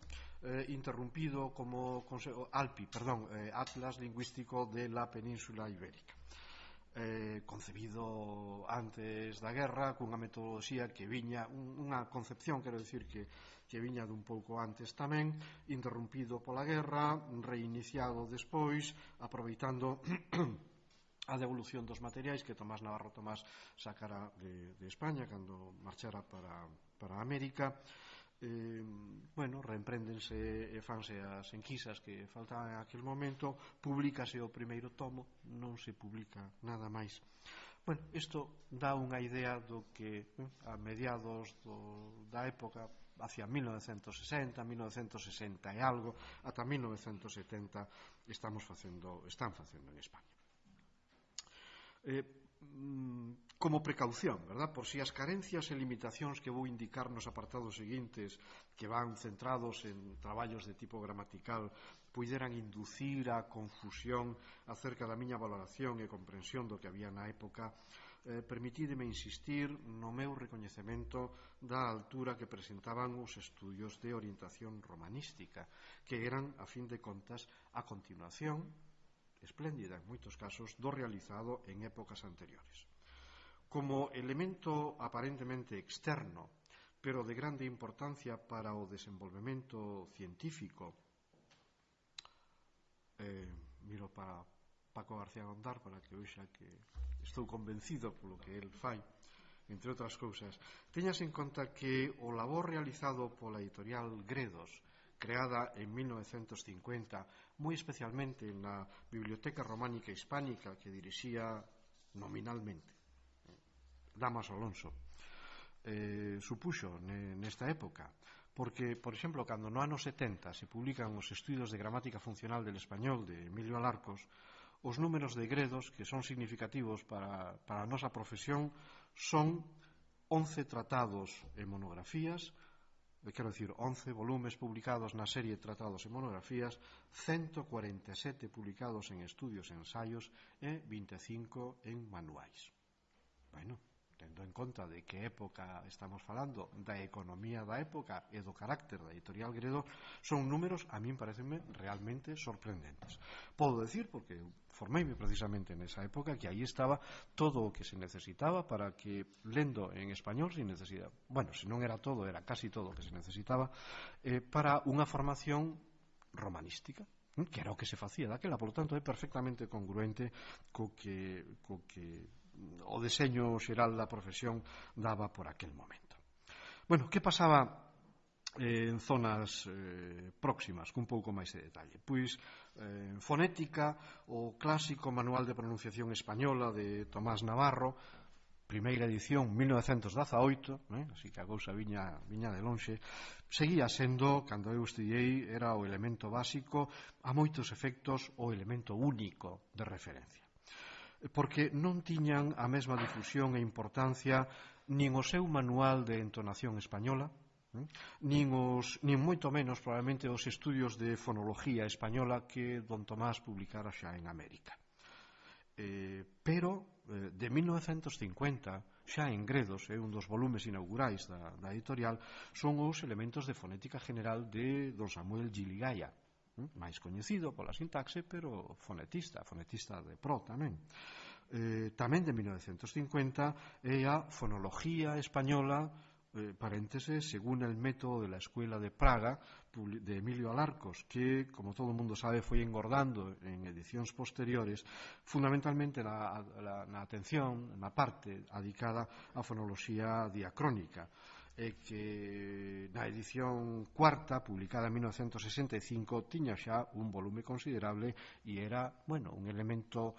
interrumpido como Atlas Lingüístico de la Península Ibérica, concebido antes da guerra cunha metodoloxía que viña, unha concepción, quero dicir, que viña dun pouco antes tamén, interrumpido pola guerra, reiniciado despois, aproveitando a devolución dos materiais que Tomás Navarro Tomás sacara de España cando marchara para América. Reempréndense e fanse as enquisas que faltaban en aquel momento, publícase o primeiro tomo, non se publica nada máis. Isto dá unha idea do que a mediados da época, hacia 1960, 1960 e algo, ata 1970 están facendo en España. Como precaución, verdad? Por si as carencias e limitacións que vou indicar nos apartados seguintes, que van centrados en traballos de tipo gramatical, puideran inducir a confusión acerca da miña valoración e comprensión do que había na época, permitídeme insistir no meu recoñecemento da altura que presentaban os estudios de orientación romanística, que eran, a fin de contas, a continuación espléndida en moitos casos do realizado en épocas anteriores. Como elemento aparentemente externo, pero de grande importancia para o desenvolvemento científico, miro para Paco García Gondar para que vexa que estou convencido polo que el fai, entre outras cousas. Teñase en conta que o labor realizado pola editorial Gredos, creada en 1950, moi especialmente na Biblioteca Románica Hispánica que dirixía nominalmente Damas Alonso, supuxo nesta época, porque, por exemplo, cando no ano 70 se publican os estudios de gramática funcional del español de Emilio Alarcos, os números de Gredos, que son significativos para a nosa profesión, son 11 tratados e monografías, quero dicir, 11 volumes publicados na serie Tratados e Monografías, 147 publicados en estudios e ensaios e 25 en manuais. tendo en conta de que época estamos falando, da economía da época e do carácter da editorial Gredo, son números, a min parecenme realmente sorprendentes. Podo decir, porque formeime precisamente nesa época, que aí estaba todo o que se necesitaba para que, lendo en español, sin necesidade, bueno, se non era todo, era casi todo o que se necesitaba, para unha formación romanística, que era o que se facía daquela, por lo tanto é perfectamente congruente co que o deseño xeral da profesión daba por aquel momento. Bueno, que pasaba en zonas próximas, cun pouco máis de detalle? Pois, en fonética, o clásico Manual de Pronunciación Española de Tomás Navarro, primeira edición, 1918, así que a cousa viña de lonxe, seguía sendo, cando eu estudiei, era o elemento básico, a moitos efectos o elemento único de referencia, porque non tiñan a mesma difusión e importancia nin o seu manual de entonación española, nin moito menos probablemente os estudios de fonología española que don Tomás publicara xa en América. Pero de 1950, xa en Gredos, un dos volumes inaugurais da editorial, son os elementos de fonética general de don Samuel Giligaya, máis coñecido pola sintaxe, pero fonetista de pro tamén. Tamén de 1950 é a fonología española, paréntesis, según el método de la Escuela de Praga, de Emilio Alarcos, que, como todo o mundo sabe, foi engordando en edicións posteriores, fundamentalmente na atención, na parte adicada á fonoloxía diacrónica, que na edición cuarta, publicada en 1965, tiña xa un volume considerable e era, un elemento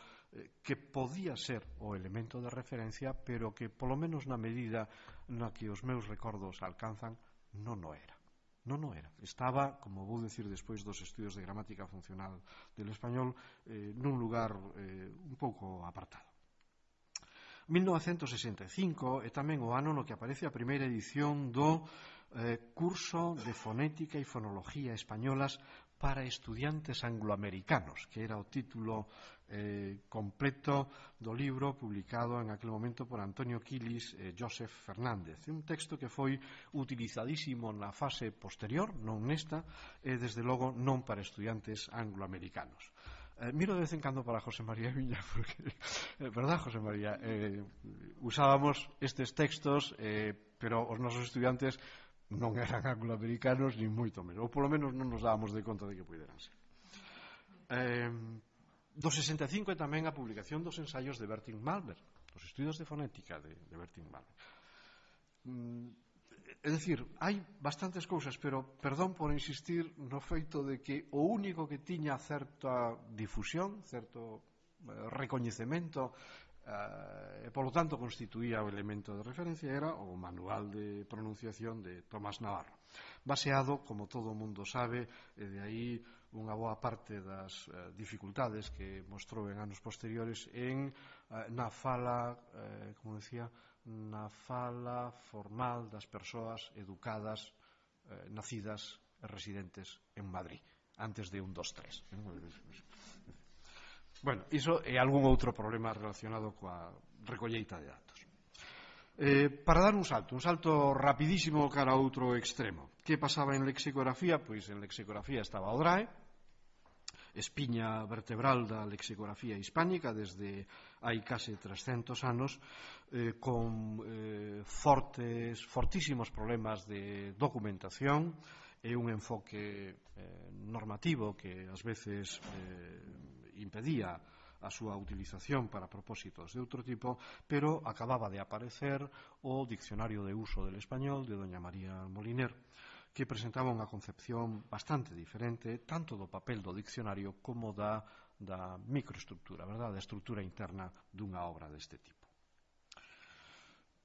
que podía ser o elemento de referencia, pero que, polo menos na medida na que os meus recordos alcanzan, non o era. Estaba, como vou dicir despois dos estudios de gramática funcional del español, nun lugar un pouco apartado. 1965 é tamén o ano no que aparece a primeira edición do curso de fonética e fonología españolas para estudiantes angloamericanos, que era o título completo do libro publicado en aquel momento por Antonio Quilis e Joseph Fernández. Un texto que foi utilizadísimo na fase posterior, non nesta, e desde logo non para estudiantes angloamericanos. Miro de vez en cando para José María Viña, porque, verdad, José María, usábamos estes textos, pero os nosos estudiantes non eran angloamericanos, nin moito menos, ou polo menos non nos dábamos de conta de que puderan ser. Do 65 é tamén a publicación dos ensaios de Bertil Malmer, dos estudios de fonética de Bertil Malmer. É dicir, hai bastantes cousas, pero perdón por insistir no feito de que o único que tiña certa difusión, certo recoñecemento, e polo tanto constituía o elemento de referencia, era o Manual de Pronunciación de Tomás Navarro, baseado, como todo o mundo sabe, e de aí unha boa parte das dificultades que mostrou en anos posteriores na fala, como decía, na fala formal das persoas educadas, nacidas e residentes en Madrid, antes de 1, 2, 3. Bueno, iso é algún outro problema relacionado coa recolleita de datos. Para dar un salto rapidísimo cara a outro extremo. Que pasaba en lexicografía? Pois en lexicografía estaba o DRAE, espiña vertebral da lexicografía hispánica desde hai case 300 anos, con fortísimos problemas de documentación e un enfoque normativo que ás veces impedía a súa utilización para propósitos de outro tipo, pero acababa de aparecer o Diccionario de Uso del Español de doña María Moliner, que presentaba unha concepción bastante diferente, tanto do papel do diccionario como da microestructura, da estructura interna dunha obra deste tipo.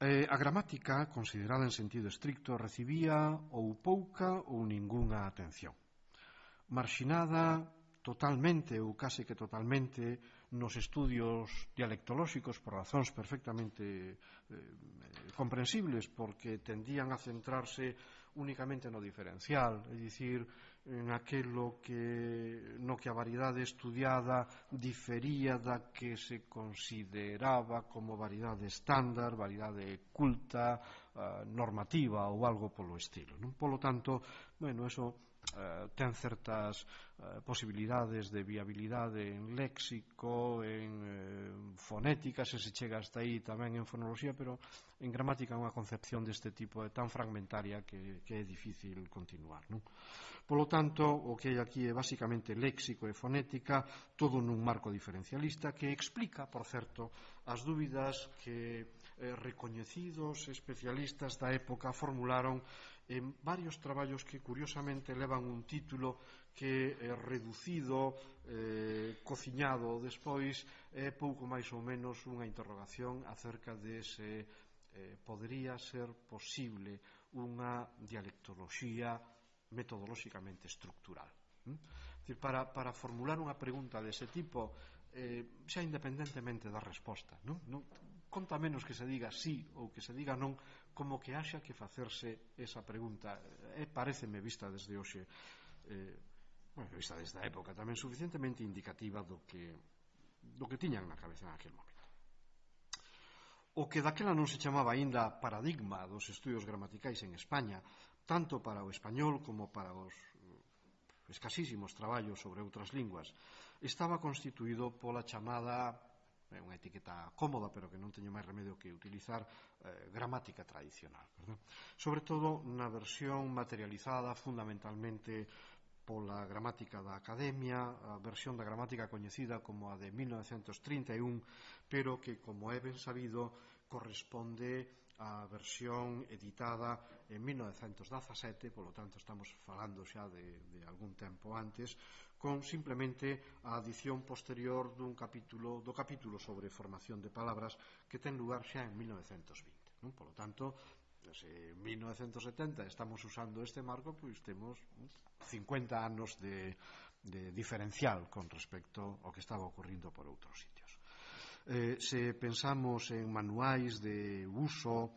A gramática, considerada en sentido estricto, recibía ou pouca ou ningunha atención. Marxinada totalmente ou case que totalmente nos estudios dialectolóxicos por razóns perfectamente comprensibles, porque tendían a centrarse únicamente no diferencial, é dicir, naquelo no que a variedade estudiada difería da que se consideraba como variedade estándar, variedade culta, normativa ou algo polo estilo, non? Polo tanto, bueno, eso ten certas posibilidades de viabilidade en léxico, en fonética, se chega hasta aí tamén en fonoloxía, pero en gramática unha concepción deste tipo é tan fragmentaria que é difícil continuar, non? Polo tanto, o que hai aquí é basicamente léxico e fonética, todo nun marco diferencialista que explica, por certo, as dúbidas que recoñecidos especialistas da época formularon en varios traballos que curiosamente levan un título que é reducido, cociñado despois, é pouco máis ou menos unha interrogación acerca de se podería ser posible unha dialectoloxía metodolóxicamente estructural. Para formular unha pregunta dese tipo, xa independentemente da resposta, non conta menos que se diga sí ou que se diga non, como que haxa que facerse esa pregunta. Paréceme, vista desde hoxe, vista desde a época, tamén suficientemente indicativa do que tiñan na cabeza en aquel momento. O que daquela non se chamaba aínda paradigma dos estudios gramaticais en España, tanto para o español como para os escasísimos traballos sobre outras linguas, estaba constituído pola chamada, unha etiqueta cómoda, pero que non teño máis remedio que utilizar, gramática tradicional, verdad? Sobre todo na versión materializada fundamentalmente pola gramática da Academia, a versión da gramática coñecida como a de 1931, pero que, como é ben sabido, corresponde á versión editada en 1917, polo tanto estamos falando xa de algún tempo antes, con simplemente a adición posterior do capítulo sobre formación de palabras que ten lugar xa en 1920, non? Polo tanto, se en 1970 estamos usando este marco, pois temos 50 anos de diferencial con respecto ao que estaba ocurrindo por outros sitios. Se pensamos en manuais de uso,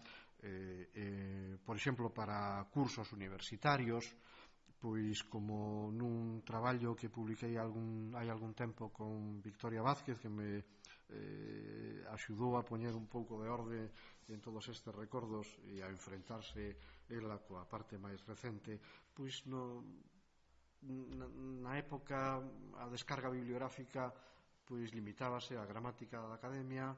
por exemplo, para cursos universitarios, pois como nun traballo que publiquei hai algún tempo con Victoria Vázquez, que me axudou a poñer un pouco de orde en todos estes recordos e a enfrentarse ela coa parte máis recente, pois na época a descarga bibliográfica pois limitábase á gramática da Academia,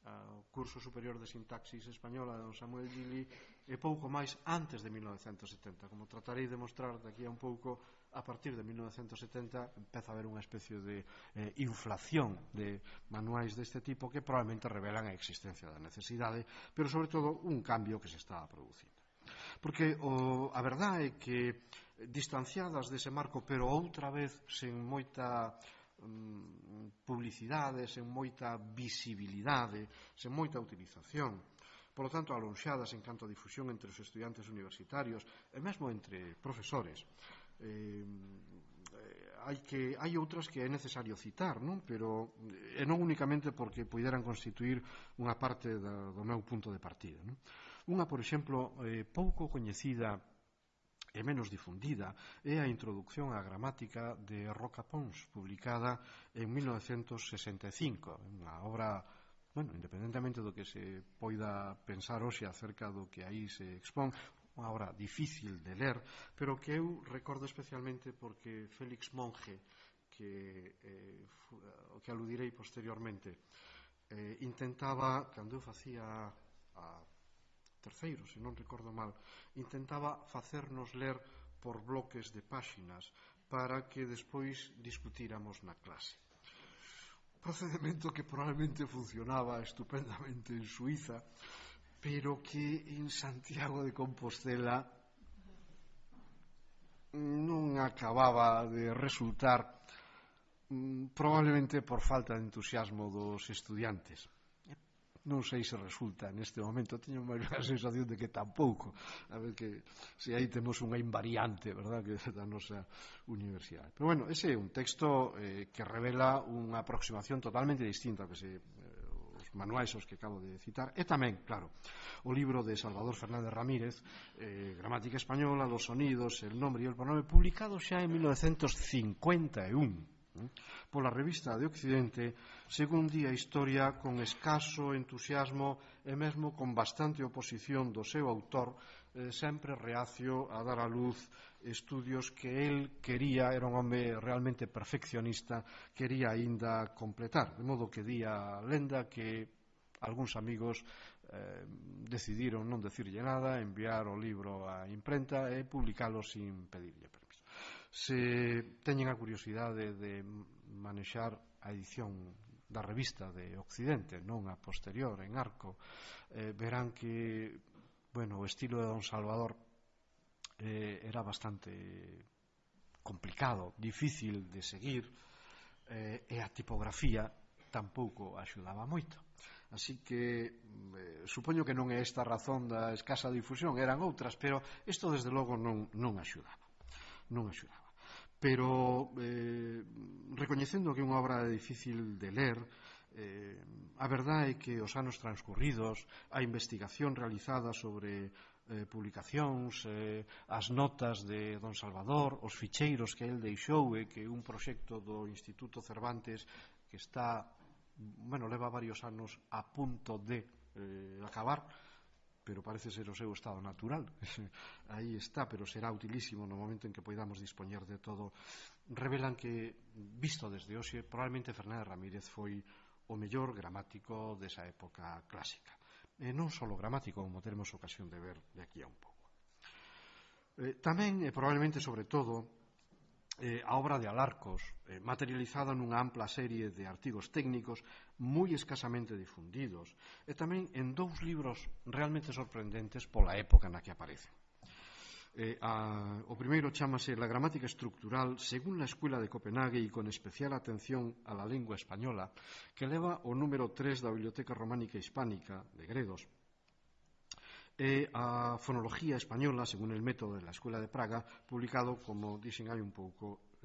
ao curso superior de sintaxis española de don Samuel Gili e pouco máis antes de 1970. Como tratarei de mostrar daqui a un pouco, a partir de 1970 empeza a haber unha especie de inflación de manuais deste tipo que probablemente revelan a existencia da necesidade, pero sobre todo un cambio que se estaba producindo. Porque a verdade é que distanciadas dese marco, pero outra vez sen moita publicidade, sen moita visibilidade, sen moita utilización, polo tanto alonxadas en canto a difusión entre os estudiantes universitarios e mesmo entre profesores, hai outras que é necesario citar, non? Pero non únicamente porque puideran constituir unha parte do meu punto de partida, non? Unha, por exemplo, pouco coñecida e menos difundida é a introducción á gramática de Roca Pons, publicada en 1965, unha obra, independentemente do que se poida pensar hoxe acerca do que aí se expón, unha obra difícil de ler, pero que eu recordo especialmente porque Félix Monge, o que aludirei posteriormente, intentaba, cando eu facía a terceiro, se non recordo mal, intentaba facernos ler por bloques de páxinas para que despois discutíramos na clase. Procedimento que probablemente funcionaba estupendamente en Suiza, pero que en Santiago de Compostela non acababa de resultar, probablemente por falta de entusiasmo dos estudiantes. non sei se resulta neste momento, teño máis a sensación de que tampouco, a ver que se aí temos unha invariante, verdad, que da nosa universidade. Pero bueno, ese é un texto que revela unha aproximación totalmente distinta que os manuais aos que acabo de citar, e tamén, claro, o libro de Salvador Fernández Ramírez, Gramática Española, los sonidos, el nombre e el pronome, publicado xa en 1951, pola revista de Occidente, según di a historia, con escaso entusiasmo e mesmo con bastante oposición do seu autor, sempre reacio a dar a luz estudios que el quería, era un home realmente perfeccionista, quería aínda completar, de modo que di a lenda que algúns amigos decidiron non decirlle nada, enviar o libro á imprenta e publicalo sin pedirlle permiso. Se teñen a curiosidade de manexar a edición da revista de Occidente, non a posterior, en Arco, verán que, bueno, o estilo de don Salvador era bastante complicado, difícil de seguir, e a tipografía tampouco axudaba moito. Así que supoño que non é esta a razón da escasa difusión, eran outras, pero isto desde logo non axudaba. Non axudaba. Pero recoñecendo que é unha obra difícil de ler, a verdade é que os anos transcurridos, a investigación realizada sobre publicacións, as notas de don Salvador, os ficheiros que el deixou, que é un proxecto do Instituto Cervantes que está, bueno, leva varios anos a punto de acabar, pero parece ser o seu estado natural. Aí está, pero será utilísimo no momento en que poidamos dispoñer de todo. Revelan que, visto desde hoxe, probablemente Fernández Ramírez foi o mellor gramático desa época clásica. E non só gramático, como teremos ocasión de ver de aquí a un pouco. Tamén, e probablemente sobre todo, a obra de Alarcos, materializada nunha ampla serie de artigos técnicos moi escasamente difundidos, e tamén en dous libros realmente sorprendentes pola época na que aparecen. O primeiro chámase La gramática estructural según la Escuela de Copenhague e con especial atención a la lengua española, que leva o número 3 da Biblioteca Románica Hispánica de Gredos, e a Fonología Española según el método de la Escuela de Praga, publicado, como dixen hai un pouco,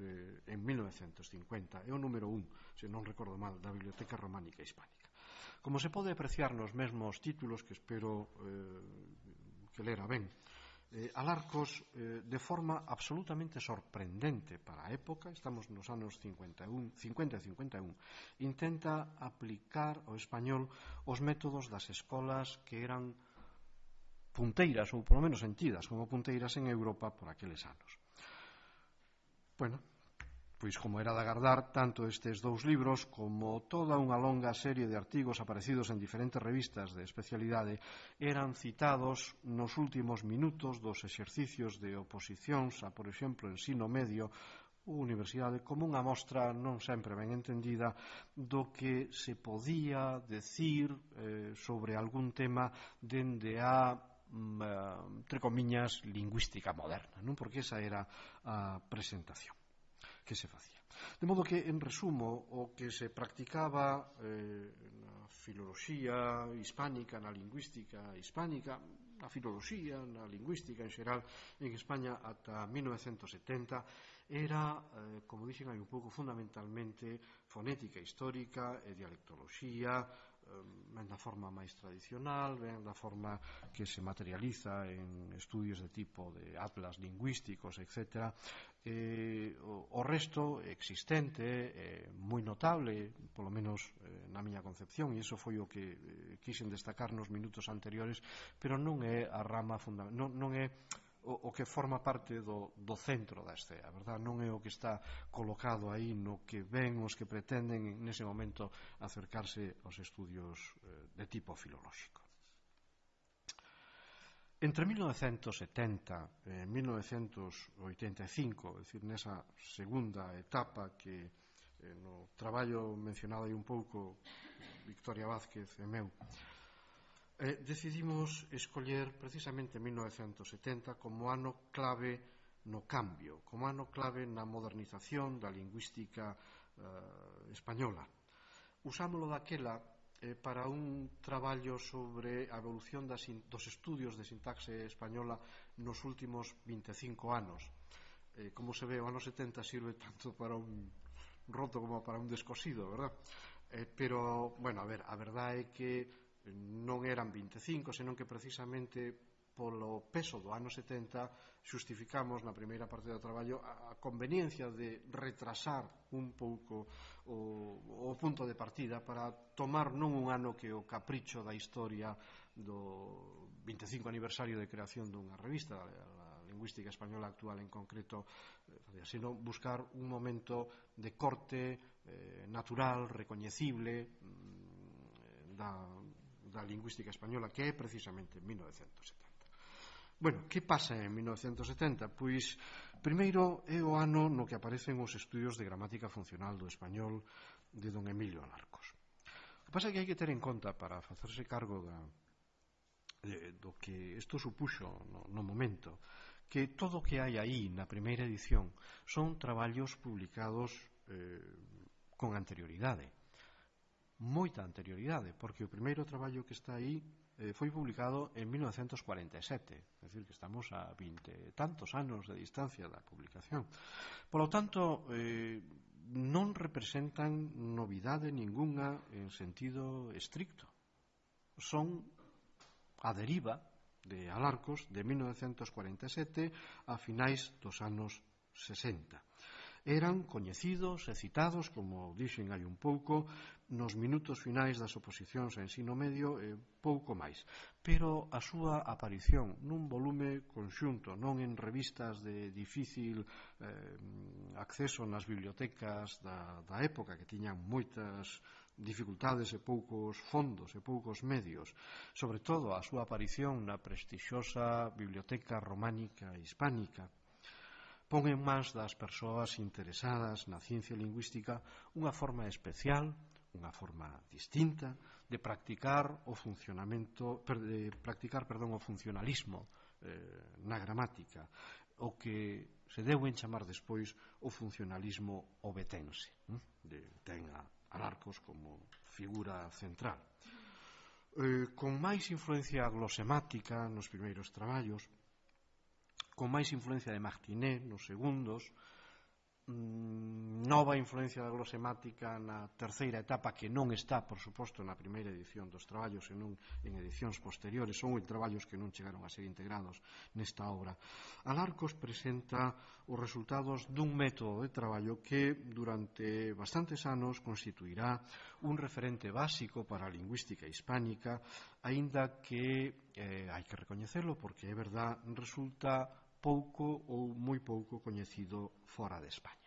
en 1950. É o número 1, se non recordo mal, da Biblioteca Románica Hispánica. Como se pode apreciar nos mesmos títulos, que espero que lera ben, Alarcos, de forma absolutamente sorprendente para a época, estamos nos anos 50 e 51, intenta aplicar ao español os métodos das escolas que eran punteiras, ou polo menos sentidas como punteiras en Europa por aqueles anos. Bueno, pois como era de agardar, tanto estes dous libros como toda unha longa serie de artigos aparecidos en diferentes revistas de especialidade eran citados nos últimos minutos dos exercicios de oposicións a, por exemplo, ensino medio ou universidade, como unha mostra non sempre ben entendida do que se podía decir sobre algún tema dende a entre comiñas, lingüística moderna, non? Porque esa era a presentación que se facía. De modo que, en resumo, o que se practicaba na filoloxía hispánica, na lingüística hispánica, na filoloxía, na lingüística en xeral, en España ata 1970, era, como dixen hai un pouco, fundamentalmente fonética histórica e dialectoloxía, ben da forma máis tradicional, ben da forma que se materializa en estudios de tipo de atlas lingüísticos, etc. O resto existente, moi notable, polo menos na miña concepción, e iso foi o que quixen destacar nos minutos anteriores, pero non é a rama fundamental, non é o que forma parte do centro da escena, verdad? Non é o que está colocado aí no que ven os que pretenden nese momento acercarse aos estudios de tipo filolóxico. Entre 1970 e 1985, é dicir, nesa segunda etapa que no traballo mencionado aí un pouco Victoria Vázquez e meu, decidimos escoller precisamente 1970 como ano clave no cambio, como ano clave na modernización da lingüística española. Usámolo daquela para un traballo sobre a evolución dos estudios de sintaxe española nos últimos 25 anos. Como se ve, o ano 70 sirve tanto para un roto como para un descosido, verdad? Pero, bueno, a verdade é que non eran 25, senón que precisamente polo peso do ano 70 xustificamos na primeira parte do traballo a conveniencia de retrasar un pouco o punto de partida para tomar non un ano que o capricho da historia do 25 aniversario de creación dunha revista, a lingüística española actual en concreto, sino buscar un momento de corte natural, recoñecible da lingüística española, que é precisamente 1970. Bueno, que pasa en 1970? Pois, primeiro, é o ano no que aparecen os estudios de gramática funcional do español de don Emilio Alarcos. O que pasa é que hai que ter en conta, para facerse cargo do que isto supuxo no momento, que todo o que hai aí na primeira edición son traballos publicados con anterioridade, moita anterioridade, porque o primeiro traballo que está aí foi publicado en 1947, é dicir, que estamos a 20 tantos anos de distancia da publicación. Por lo tanto, non representan novidade ningunha en sentido estricto. Son a deriva de Alarcos de 1947 a finais dos anos 60. Eran coñecidos e citados, como dixen hai un pouco, nos minutos finais das oposicións a ensino medio e pouco máis. Pero a súa aparición nun volume conxunto, non en revistas de difícil acceso nas bibliotecas da época, que tiñan moitas dificultades e poucos fondos e poucos medios, sobre todo a súa aparición na prestixiosa Biblioteca Románica Hispánica, pon en mans das persoas interesadas na ciencia lingüística unha forma especial, unha forma distinta de practicar o funcionalismo na gramática, o que se deu en chamar despois o funcionalismo obetense, ten a Alarcos como figura central. Con máis influencia glosemática nos primeiros traballos, con máis influencia de Martinet nos segundos, nova influencia da glosemática na terceira etapa, que non está, por suposto, na primeira edición dos traballos, senón en edicións posteriores, son traballos que non chegaron a ser integrados nesta obra. Alarcos presenta os resultados dun método de traballo que durante bastantes anos constituirá un referente básico para a lingüística hispánica, aínda que, hai que recoñecelo porque é verdad, resulta pouco ou moi pouco coñecido fora de España.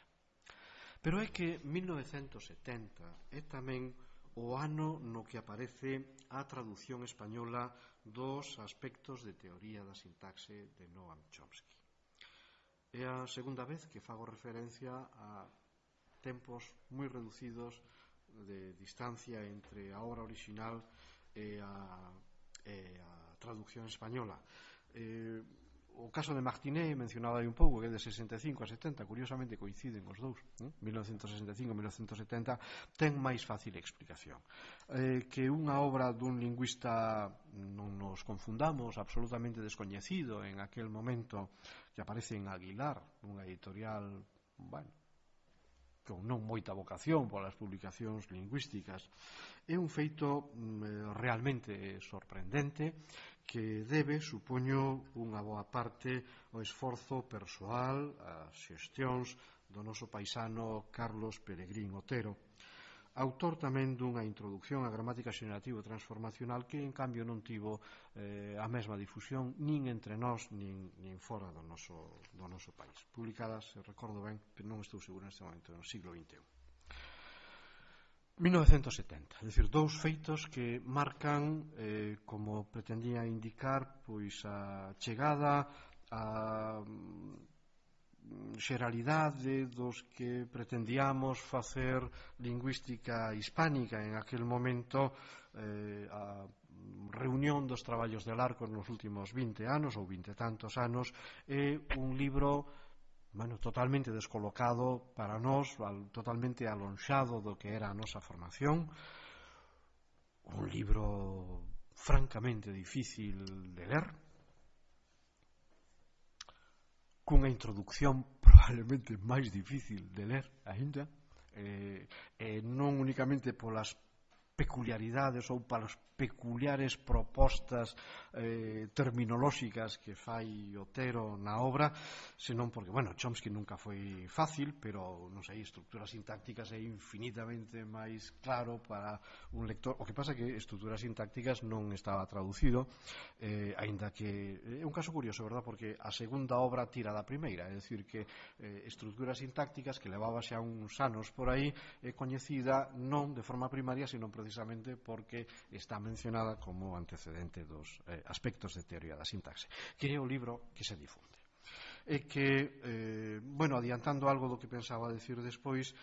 Pero é que 1970 é tamén o ano no que aparece a traducción española dos aspectos de teoría da sintaxe de Noam Chomsky. É a segunda vez que fago referencia a tempos moi reducidos de distancia entre a obra original e a traducción española. O caso de Martinet, mencionado aí un pouco, que é de 65 a 70, curiosamente coinciden os dous, 1965 e 1970, ten máis fácil explicación. Que unha obra dun lingüista, non nos confundamos, absolutamente descoñecido en aquel momento, que aparece en Aguilar, unha editorial, con non moita vocación polas publicacións lingüísticas, é un feito realmente sorprendente, que debe, supoño, unha boa parte ao esforzo persoal, as xestións do noso paisano Carlos Peregrín Otero, autor tamén dunha introducción á gramática xenerativa transformacional que, en cambio, non tivo a mesma difusión nin entre nós nin fora do noso país. Publicadas, se recordo ben, pero non estou seguro neste momento, no siglo XXI. 1970, é dicir, dous feitos que marcan, como pretendía indicar, pois a chegada a xeralidade dos que pretendíamos facer lingüística hispánica en aquel momento, a reunión dos traballos de Alarcos nos últimos 20 anos ou 20 tantos anos, é un libro totalmente descolocado para nós, totalmente alonxado do que era a nosa formación, un libro francamente difícil de ler, cunha introducción probablemente máis difícil de ler aínda, non únicamente polas peculiaridades ou polas peculiares propostas terminolóxicas que fai Otero na obra, senón porque, Chomsky nunca foi fácil, pero, non sei, estructuras sintácticas é infinitamente máis claro para un lector. O que pasa é que estructuras sintácticas non estaba traducido, aínda que é un caso curioso, verdad, porque a segunda obra tira da primeira, é dicir que estructuras sintácticas que levaba xa uns anos por aí é coñecida non de forma primaria, senón precisamente porque está mencionada como antecedente dos aspectos de teoría da sintaxe, que é o libro que se difunde. E que, adiantando algo do que pensaba decir despois,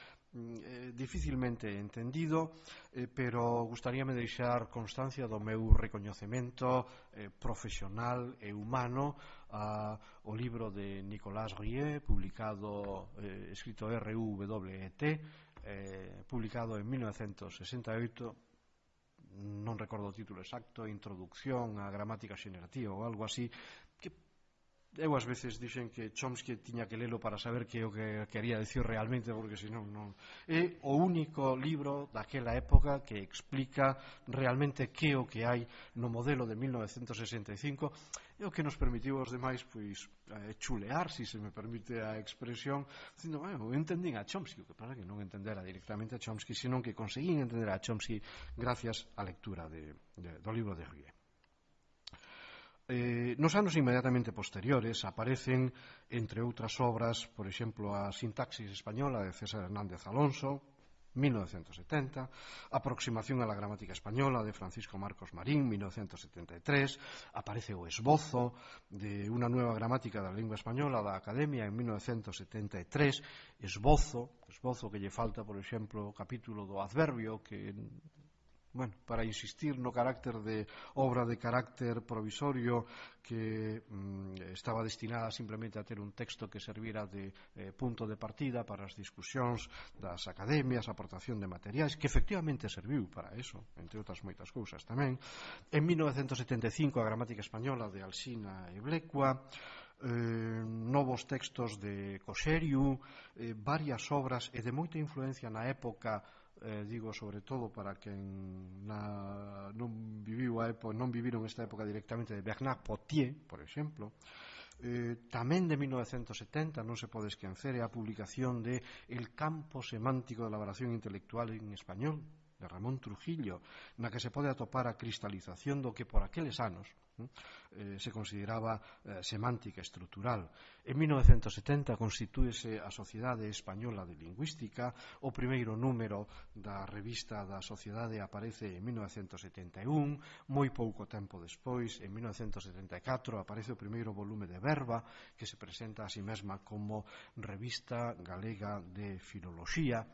dificilmente entendido, pero gustaríame deixar constancia do meu recoñecemento profesional e humano ao libro de Nicolas Rieu, publicado, escrito RUWET, publicado en 1968, non recordo o título exacto, Introducción á gramática xenerativa ou algo así, que eu ás veces dixen que Chomsky tiña que lelo para saber que é o que quería decir realmente, porque senón non. É o único libro daquela época que explica realmente que o que hai no modelo de 1965 e o que nos permitiu aos demais chulear, se me permite a expresión, dicindo, eu entendín a Chomsky, o que pasa que non entendera directamente a Chomsky, senón que conseguín entender a Chomsky gracias á lectura do libro de Rieu. Nos anos inmediatamente posteriores aparecen, entre outras obras, por exemplo, a Sintaxis española de César Hernández Alonso, 1970, Aproximación a la gramática española de Francisco Marcos Marín, 1973, aparece o esbozo de Una nueva gramática da lingua española da Academia en 1973, esbozo que lle falta, por exemplo, o capítulo do adverbio, que para insistir no carácter de obra de carácter provisorio que estaba destinada simplemente a ter un texto que servira de punto de partida para as discusións das academias, aportación de materiais, que efectivamente serviu para eso, entre outras moitas cousas tamén. En 1975 a gramática española de Alsina e Blecua, novos textos de Coxeriu, varias obras e de moita influencia na época, digo sobre todo para quen non viviron esta época directamente, de Bernard Potier, por exemplo. Tamén de 1970 non se pode esquecer a publicación de El campo semántico de elaboración intelectual en español, de Ramón Trujillo, na que se pode atopar a cristalización do que por aqueles anos se consideraba semántica estrutural. En 1970 constitúese a Sociedade Española de Lingüística, o primeiro número da revista da Sociedade aparece en 1971, moi pouco tempo despois, en 1974, aparece o primeiro volume de Verba, que se presenta a si mesma como Revista Galega de Filoloxía.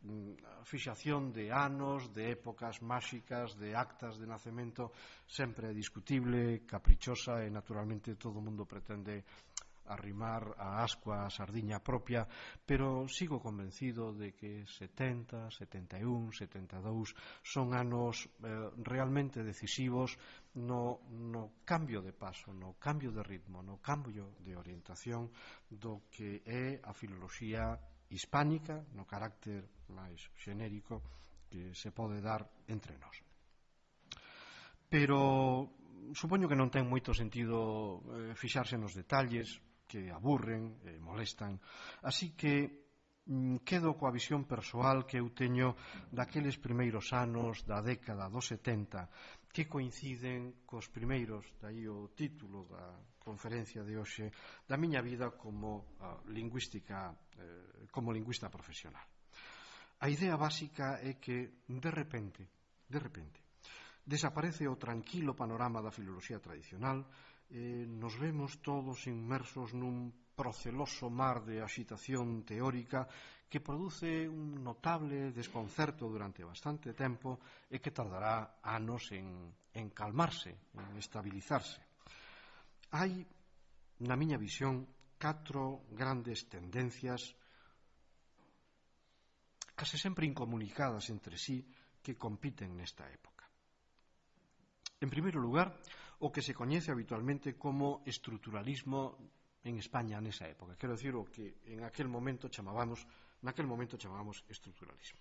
A fixación de anos, de épocas máxicas, de actas de nacemento, sempre é discutible, caprichosa e naturalmente todo o mundo pretende arrimar a ascua a sardiña propia, pero sigo convencido de que 70, 71, 72 son anos realmente decisivos no cambio de paso, no cambio de ritmo, no cambio de orientación do que é a filoloxía hispánica, no carácter máis xenérico que se pode dar entre nós. Pero supoño que non ten moito sentido fixarse nos detalles que aburren e molestan, así que quedo coa visión persoal que eu teño daqueles primeiros anos da década dos 70 que coinciden cos primeiros, dai o título da conferencia de hoxe, da miña vida como lingüista profesional. A idea básica é que, de repente, desaparece o tranquilo panorama da filoloxía tradicional, nos vemos todos inmersos nun proceloso mar de axitación teórica que produce un notable desconcerto durante bastante tempo e que tardará anos en calmarse, en estabilizarse. Hai, na miña visión, 4 grandes tendencias case sempre incomunicadas entre sí, que compiten nesta época. En primeiro lugar, o que se coñece habitualmente como estruturalismo en España nesa época. Quero dicir, o que naquel momento chamábamos estruturalismo.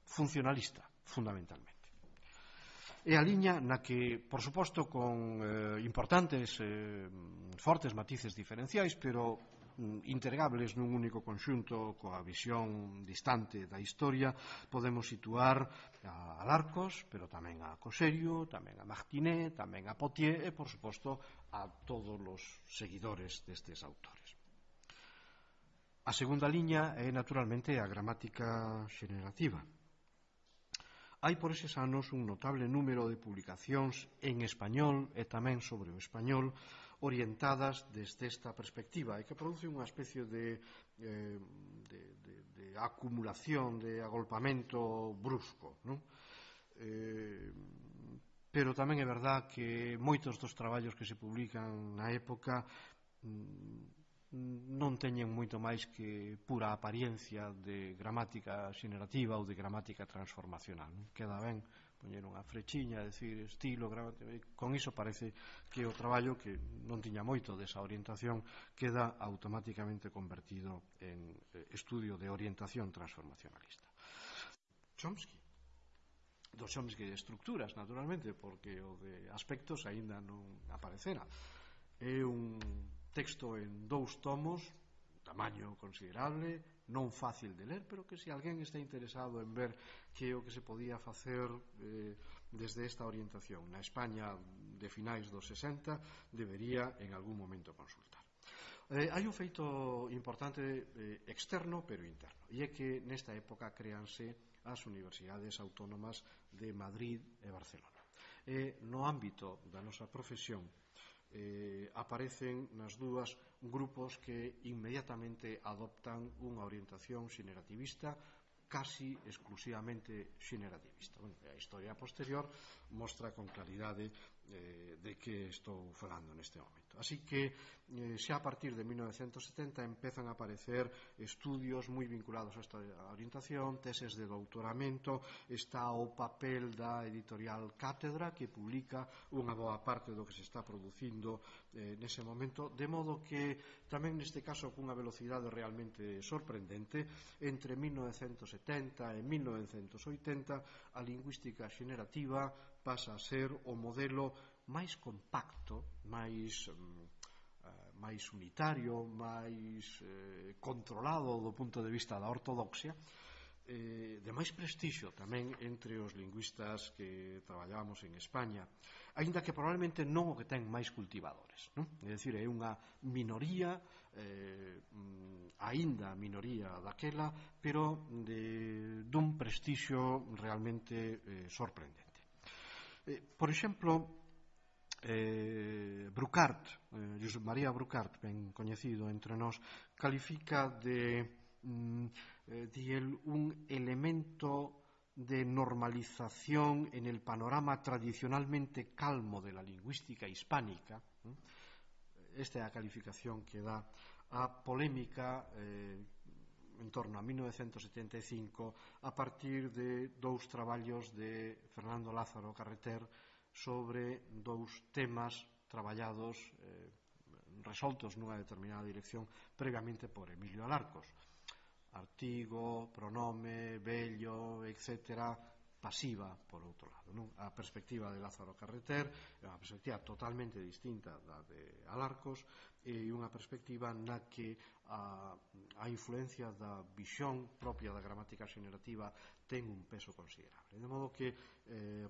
Funcionalista, fundamentalmente. É a liña na que, por suposto, con importantes, fortes matices diferenciais, pero integrables nun único conxunto coa visión distante da historia, podemos situar a Alarcos, pero tamén a Coserio, tamén a Martinet, tamén a Potier e, por suposto, a todos os seguidores destes autores. A segunda liña é, naturalmente, a gramática xenerativa. Hai por eses anos un notable número de publicacións en español e tamén sobre o español orientadas desde esta perspectiva e que produce unha especie de acumulación, de agolpamento brusco, non? Pero tamén é verdad que moitos dos traballos que se publican na época non teñen moito máis que pura apariencia de gramática xenerativa ou de gramática transformacional. Queda ben poñer unha frechiña, decir estilo, gramática. Con iso parece que o traballo, que non tiña moito desa orientación, queda automáticamente convertido en estudio de orientación transformacionalista. Chomsky. Do Chomsky de estructuras, naturalmente, porque o de aspectos aínda non aparecera. É un texto en 2 tomos, tamaño considerable, non fácil de ler, pero que se alguén está interesado en ver que é o que se podía facer desde esta orientación na España de finais dos 60, debería en algún momento consultar. Hai un feito importante externo, pero interno, e é que nesta época créanse as universidades autónomas de Madrid e Barcelona. No ámbito da nosa profesión, aparecen nas dúas grupos que inmediatamente adoptan unha orientación xenerativista, casi exclusivamente xenerativista. A historia posterior mostra con claridade de que estou falando neste momento. Así que xa a partir de 1970 empezan a aparecer estudios moi vinculados a esta orientación, teses de doutoramento, está o papel da editorial Cátedra, que publica unha boa parte do que se está producindo nese momento, de modo que tamén neste caso cunha velocidade realmente sorprendente, entre 1970 e 1980 a lingüística xenerativa pasa a ser o modelo máis compacto, máis unitario, máis controlado do punto de vista da ortodoxia, de máis prestixio tamén entre os lingüistas que traballábamos en España, aínda que probablemente non o que ten máis cultivadores, non? É dicir, é unha minoría, aínda minoría daquela, pero dun prestixio realmente sorprendente. Por exemplo, Bruckart, Josep María Bruckart, ben coñecido entre nós, califica de un elemento de normalización en el panorama tradicionalmente calmo de la lingüística hispánica. Esta é a calificación que dá a polémica en torno a 1975 a partir de 2 traballos de Fernando Lázaro Carreter sobre 2 temas traballados, resoltos nunha determinada dirección previamente por Emilio Alarcos: artigo, pronome, vello, etc., pasiva, por outro lado, non? A perspectiva de Lázaro Carreter é unha perspectiva totalmente distinta da de Alarcos, e unha perspectiva na que a influencia da visión propia da gramática xenerativa ten un peso considerable. De modo que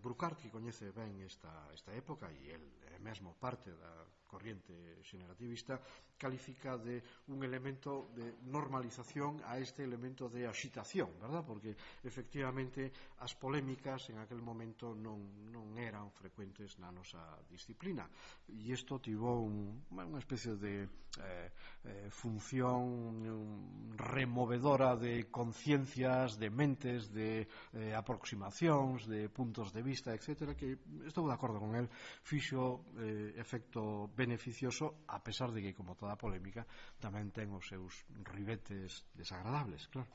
Bruckart, que coñece ben esta época, e el é mesmo parte da corriente xenerativista, califica de un elemento de normalización a este elemento de axitación, verdad? Porque efectivamente as polémicas en aquel momento non eran frecuentes na nosa disciplina, e isto tivo unha especie de función removedora de conciencias, de mentes, de aproximacións, de puntos de vista, etc., que estou de acordo con el, fixo efecto beneficioso, a pesar de que, como toda polémica, tamén ten os seus ribetes desagradables, claro.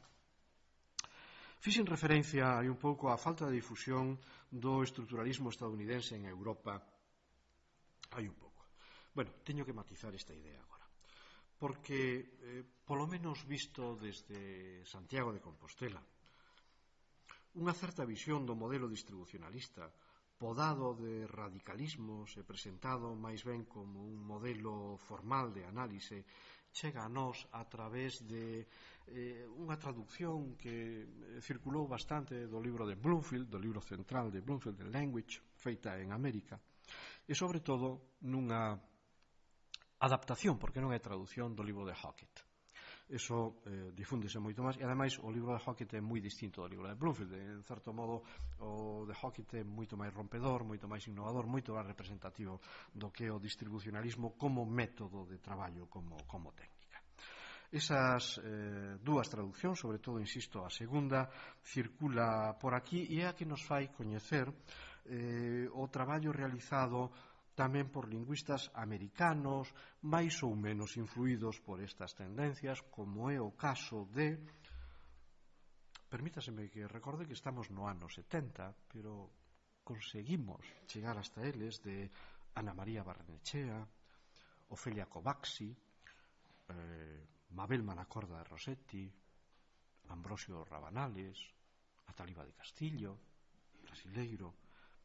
Fixen referencia hai un pouco á falta de difusión do estruturalismo estadounidense en Europa. Hai un pouco. Bueno, teño que matizar esta idea agora, porque, polo menos visto desde Santiago de Compostela, unha certa visión do modelo distribucionalista podado de radicalismos e presentado máis ben como un modelo formal de análise chega a nós a través de unha traducción que circulou bastante do libro de Bloomfield, do libro central de Bloomfield, The Language, feita en América, e sobre todo nunha adaptación, porque non é traducción do libro de Hockett. Eso difúndese moito máis, e ademais o libro de Hockett é moi distinto do libro de Bloomfield. En certo modo o de Hockett é moito máis rompedor, moito máis innovador, moito máis representativo do que o distribucionalismo como método de traballo, como técnica. Esas dúas traduccións, sobre todo, insisto, a segunda circula por aquí e é a que nos fai coñecer o traballo realizado tamén por lingüistas americanos, máis ou menos influídos por estas tendencias, como é o caso de... Permítaseme que recorde que estamos no ano 70, pero conseguimos chegar hasta eles, de Ana María Barrenechea, Ofelia Covaxi, Mabel Manacorda de Rossetti, Ambrosio Rabanales, Ataliba de Castillo, Brasileiro,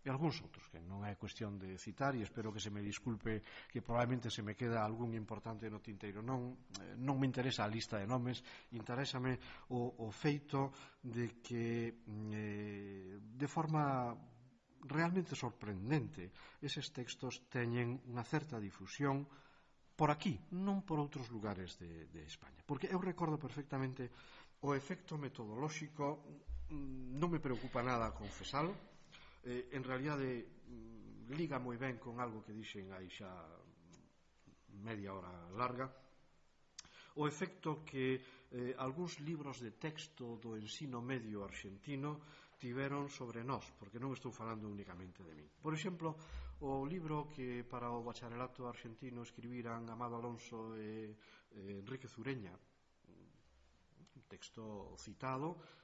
e algúns outros que non é cuestión de citar, e espero que se me disculpe que probablemente se me queda algún importante no tinteiro. Non me interesa a lista de nomes, interésame o feito de que de forma realmente sorprendente eses textos teñen unha certa difusión por aquí, non por outros lugares de España, porque eu recordo perfectamente o efecto metodolóxico. Non me preocupa nada confesalo. En realidade liga moi ben con algo que dixen aí xa media hora larga, o efecto que algúns libros de texto do ensino medio arxentino tiveron sobre nós, porque non estou falando únicamente de min. Por exemplo, o libro que para o bacharelato arxentino escribiran Amado Alonso e Enrique Zureña, un texto citado,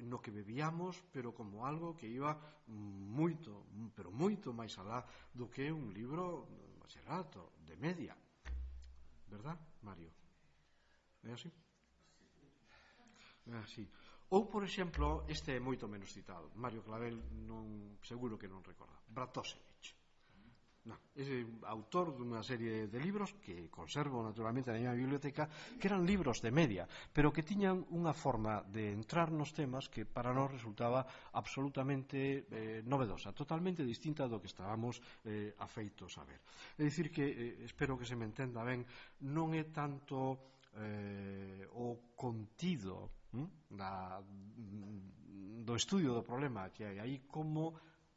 no que bebíamos, pero como algo que iba moito, pero moito máis alá do que un libro de bacharelato, de media. Verdad, Mario? É así? É así. Ou, por exemplo, este é moito menos citado, Mario Clavel seguro que non recorda, Bratósevich. É autor dunha serie de libros que conservo naturalmente na minha biblioteca, que eran libros de media, pero que tiñan unha forma de entrar nos temas que para nós resultaba absolutamente novedosa, totalmente distinta do que estábamos afeitos a ver. É dicir que, espero que se me entenda ben, non é tanto o contido do estudio do problema que hai aí como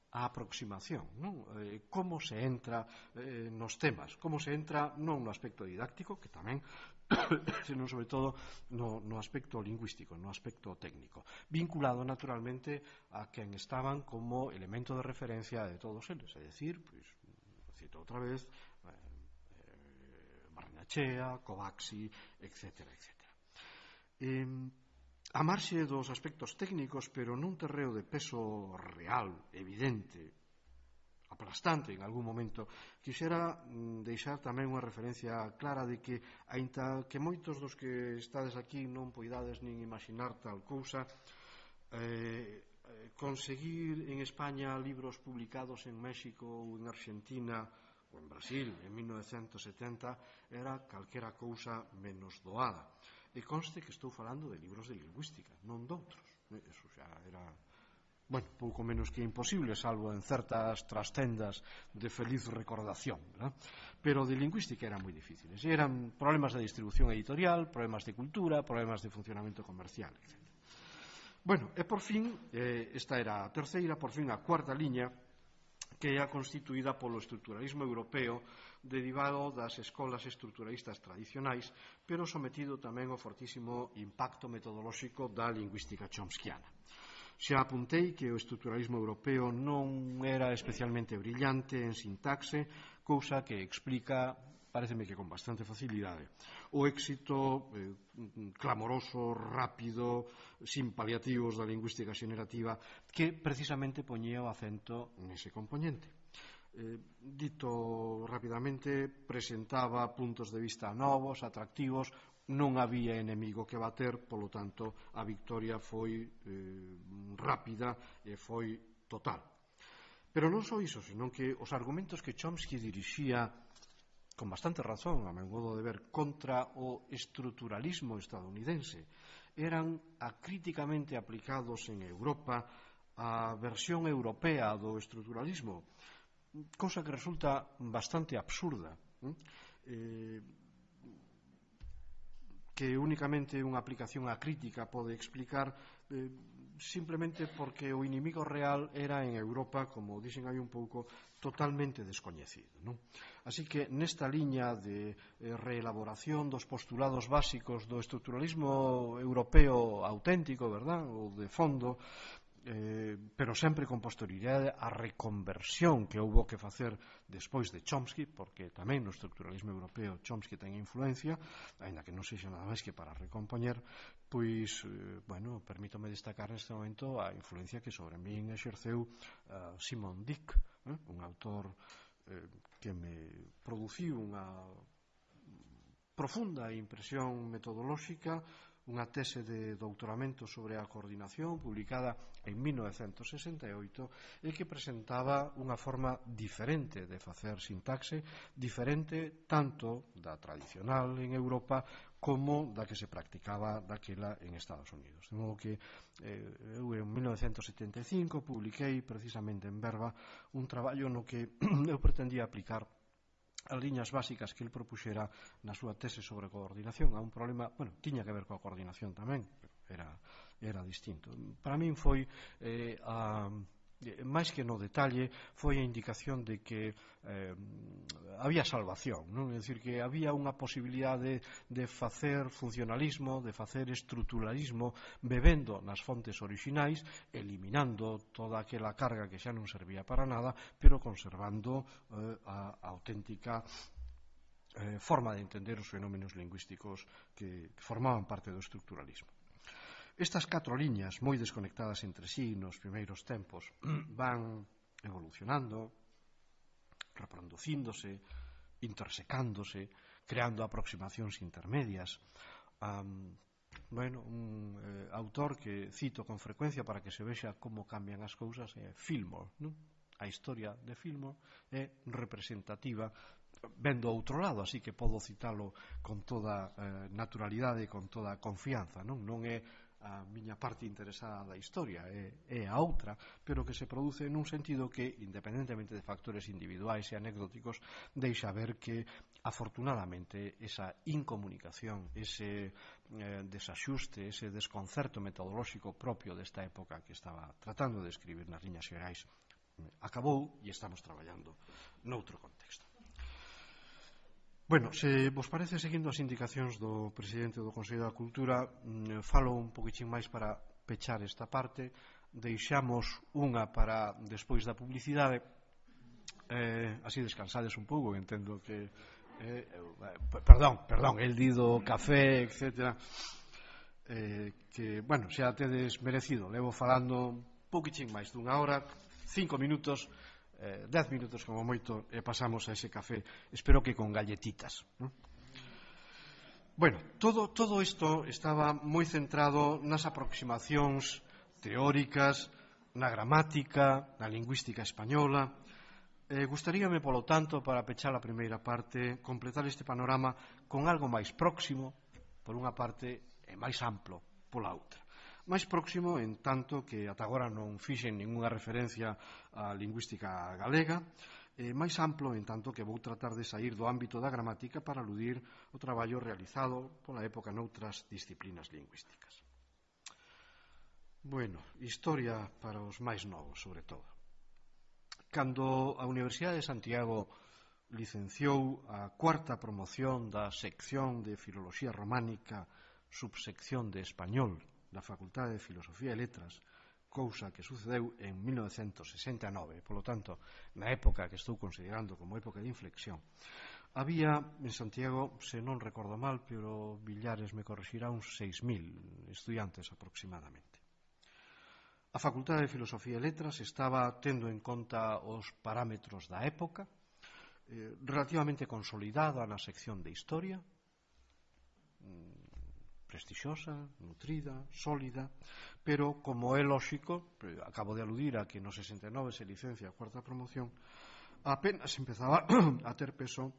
a aproximación, non? Como se entra nos temas, como se entra non no aspecto didáctico, que tamén, senón sobre todo no aspecto lingüístico, no aspecto técnico, vinculado naturalmente a quen estaban como elemento de referencia de todos eles, é dicir, pois, cito outra vez, Barrenechea, Covaxi, etcétera, etcétera. A marxe dos aspectos técnicos, pero nun terreo de peso real, evidente, aplastante en algún momento, quixera deixar tamén unha referencia clara de que, aínda que moitos dos que estades aquí non poidades nin imaginar tal cousa, conseguir en España libros publicados en México ou en Argentina ou en Brasil en 1970 era calquera cousa menos doada. E conste que estou falando de libros de lingüística, non doutros. Eso xa era, bueno, pouco menos que imposible, salvo en certas trastendas de feliz recordación, ¿verdad? Pero de lingüística eran moi difíciles. E eran problemas de distribución editorial, problemas de cultura, problemas de funcionamento comercial, etc. Bueno, e por fin, esta era a terceira, por fin a cuarta liña, que é a constituída polo estruturalismo europeo derivado das escolas estruturalistas tradicionais, pero sometido tamén ao fortísimo impacto metodolóxico da lingüística chomskiana. Xa apuntei que o estruturalismo europeo non era especialmente brillante en sintaxe, cousa que explica pareceme que con bastante facilidade, o éxito clamoroso, rápido, sin paliativos da lingüística xenerativa, que precisamente poñía o acento nese componente. Dito rapidamente, presentaba puntos de vista novos, atractivos, non había enemigo que bater, polo tanto, a victoria foi rápida e foi total. Pero non só iso, senón que os argumentos que Chomsky dirixía con bastante razón, a meu modo de ver, contra o estruturalismo estadounidense eran acríticamente aplicados en Europa á versión europea do estruturalismo, cousa que resulta bastante absurda, que únicamente unha aplicación acrítica pode explicar simplemente porque o inimigo real era en Europa, como dixen hai un pouco, totalmente descoñecido, non? Así que nesta liña de reelaboración dos postulados básicos do estruturalismo europeo auténtico, verdad, ou de fondo, pero sempre con posterioridade a reconversión que houbo que facer despois de Chomsky, porque tamén no estruturalismo europeo Chomsky ten influencia, aínda que non sexa nada máis que para recompoñer, pois, bueno, permítome destacar neste momento a influencia que sobre min exerceu Simon Dick, un autor que me produciu unha profunda impresión metodolóxica, unha tese de doutoramento sobre a coordinación publicada en 1968 e que presentaba unha forma diferente de facer sintaxe, diferente tanto da tradicional en Europa como da que se practicaba daquela en Estados Unidos. De modo que eu en 1975 publiquei precisamente en Verba un traballo no que eu pretendía aplicar as liñas básicas que el propuxera na súa tese sobre coordinación a un problema, bueno, tiña que ver coa coordinación tamén, pero era distinto. Para min foi máis que no detalle, foi a indicación de que había salvación, non? É dicir, que había unha posibilidade de facer funcionalismo, de facer estruturalismo, bebendo nas fontes orixinais, eliminando toda aquela carga que xa non servía para nada, pero conservando a auténtica forma de entender os fenómenos lingüísticos que formaban parte do estruturalismo. Estas 4 liñas, moi desconectadas entre sí nos primeiros tempos, van evolucionando, reproducíndose, intersecándose, creando aproximacións intermedias. Un autor que cito con frecuencia para que se vexa como cambian as cousas é Fillmore, non? A historia de Fillmore é representativa vendo ao outro lado, así que podo citalo con toda naturalidade e con toda confianza, non é a miña parte interesada da historia, é a outra, pero que se produce nun sentido que, independentemente de factores individuais e anecdóticos, deixa ver que, afortunadamente, esa incomunicación, ese desaxuste, ese desconcerto metodolóxico propio desta época que estaba tratando de escribir nas liñas xerais acabou e estamos traballando noutro contexto. Bueno, se vos parece, seguindo as indicacións do presidente do Consello da Cultura, falo un poquitín máis para pechar esta parte, deixamos unha para despois da publicidade, así descansades un pouco, entendo que perdón, el dido café, etc., que, bueno, xa tedes merecido, levo falando un poquitín máis dunha hora, 5 minutos, 10 minutos como moito, e pasamos a ese café, espero que con galletitas, ¿no? Bueno, todo isto estaba moi centrado nas aproximacións teóricas, na gramática, na lingüística española. Gustaríame, polo tanto, para pechar a primeira parte, completar este panorama con algo máis próximo, por unha parte, e máis amplo, pola outra. Máis próximo, en tanto que ata agora non fixen ningunha referencia á lingüística galega, máis amplo, en tanto que vou tratar de saír do ámbito da gramática para aludir o traballo realizado pola época noutras disciplinas lingüísticas. Bueno, historia para os máis novos, sobre todo. Cando a Universidade de Santiago licenciou a 4ª promoción da sección de Filoloxía Románica, subsección de Español, da Facultade de Filosofía e Letras, cousa que sucedeu en 1969, polo tanto, na época que estou considerando como época de inflexión, Había en Santiago, se non recordo mal, pero Villares me corrixirá, uns 6.000 estudiantes aproximadamente. A Facultade de Filosofía e Letras estaba tendo en conta os parámetros da época, relativamente consolidada na sección de Historia, prestixiosa, nutrida, sólida, pero, como é lóxico, acabo de aludir a que no 69 se licencia a cuarta promoción, apenas empezaba a ter peso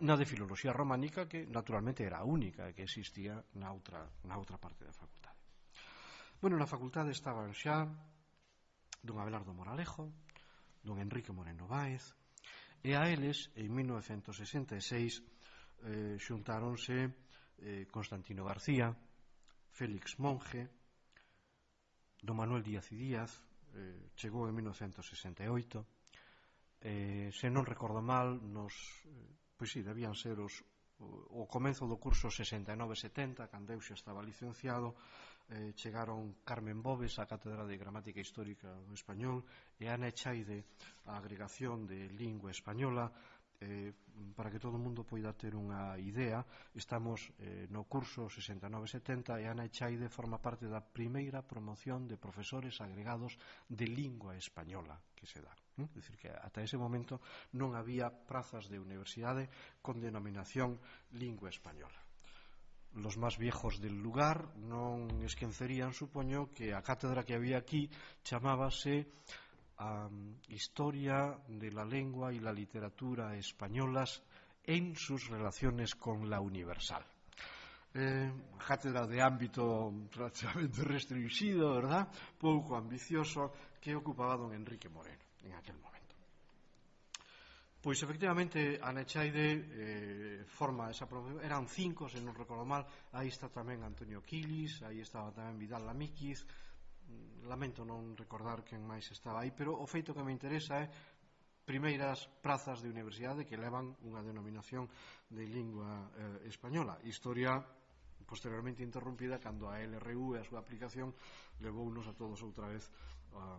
na de Filoloxía Románica, que naturalmente era a única que existía na outra parte da facultade. Bueno, na facultade estaban xa don Abelardo Moralejo, don Enrique Moreno Báez, e a eles, en 1966, xuntáronse Constantino García, Félix Monge, don Manuel Díaz y Díaz, chegou en 1968, se non recordo mal, pois sí, debían ser o comenzo do curso 69-70, cando eu xa estaba licenciado, chegaron Carmen Bobes á Cátedra de Gramática Histórica do Español e Ana Echaide á Agregación de Lingua Española. Para que todo o mundo poida ter unha idea, estamos no curso 69-70 e Ana Echaide forma parte da primeira promoción de profesores agregados de lingua española que se dá. É dicir, que ata ese momento non había prazas de universidade con denominación lingua española. Los más viejos del lugar non esquecerían, supoño, que a cátedra que había aquí chamábase Historia de la lengua y la literatura españolas en sus relaciones con la universal. Cátedra de ámbito relativamente restringido, ¿verdad? Pouco ambicioso, que ocupaba don Enrique Moreno en aquel momento. Pois, efectivamente, Ana Echaide forma esa promoción. Eran 5, se non recordo mal. Aí está tamén Antonio Quilis, aí estaba tamén Vidal Lamíquiz. Lamento non recordar quen máis estaba aí, pero o feito que me interesa é primeiras prazas de universidade que levan unha denominación de lingua española. Historia posteriormente interrumpida cando a LRU e a súa aplicación levounos a todos outra vez a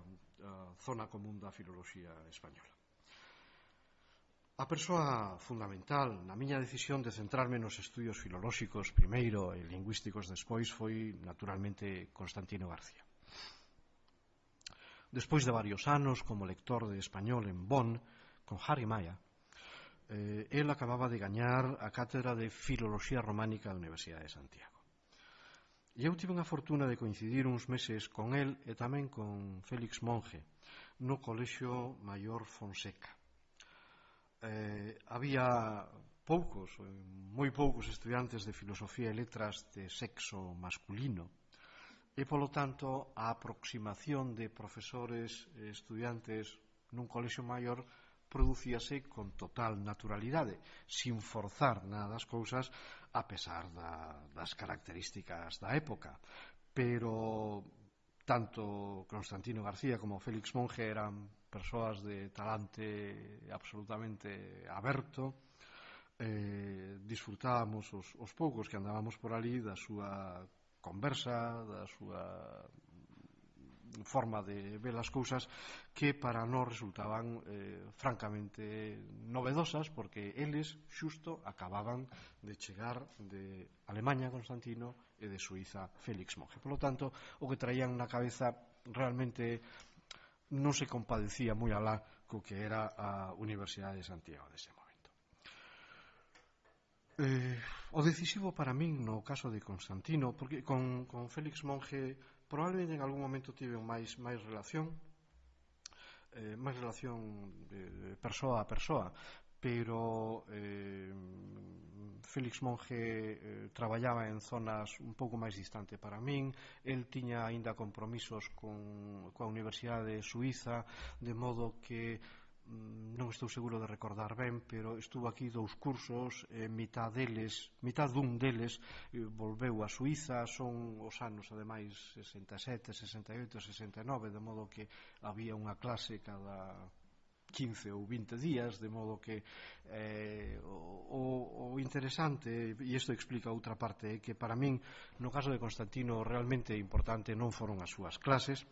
zona común da filoloxía española. A persoa fundamental na miña decisión de centrarme nos estudios filolóxicos primeiro e lingüísticos despois foi naturalmente Constantino García. Despois de varios anos como lector de español en Bonn con Harry Maya, el acababa de gañar a cátedra de Filoloxía Románica da Universidade de Santiago. E eu tive a fortuna de coincidir uns meses con el e tamén con Félix Monge no Colexio Maior Fonseca. Había moi poucos estudiantes de filosofía e letras de sexo masculino e, polo tanto, a aproximación de profesores e estudiantes nun colexio maior producíase con total naturalidade, sin forzar nada das cousas, a pesar das características da época. Pero tanto Constantino García como Félix Monge eran persoas de talante absolutamente aberto. Disfrutábamos os poucos que andábamos por ali da súa conversa, da súa forma de ver as cousas, que para nós resultaban francamente novedosas, porque eles xusto acababan de chegar de Alemanha, Constantino, e de Suiza, Félix Monge. Por lo tanto, o que traían na cabeza realmente non se compadecía moi alá co que era a Universidade de Santiago dese momento. O decisivo para min no caso de Constantino, porque con Félix Monge probablemente en algún momento tive máis relación de persoa a persoa, pero Félix Monge traballaba en zonas un pouco máis distante para min. El tiña aínda compromisos coa Universidade de Suiza, de modo que non estou seguro de recordar ben, pero estuvo aquí 2 cursos, mitad dun deles volveu a Suiza. Son os anos, ademais, 67, 68, 69, de modo que había unha clase cada 15 ou 20 días, de modo que o interesante, e isto explica outra parte, é que para min, no caso de Constantino, realmente importante non foron as súas clases,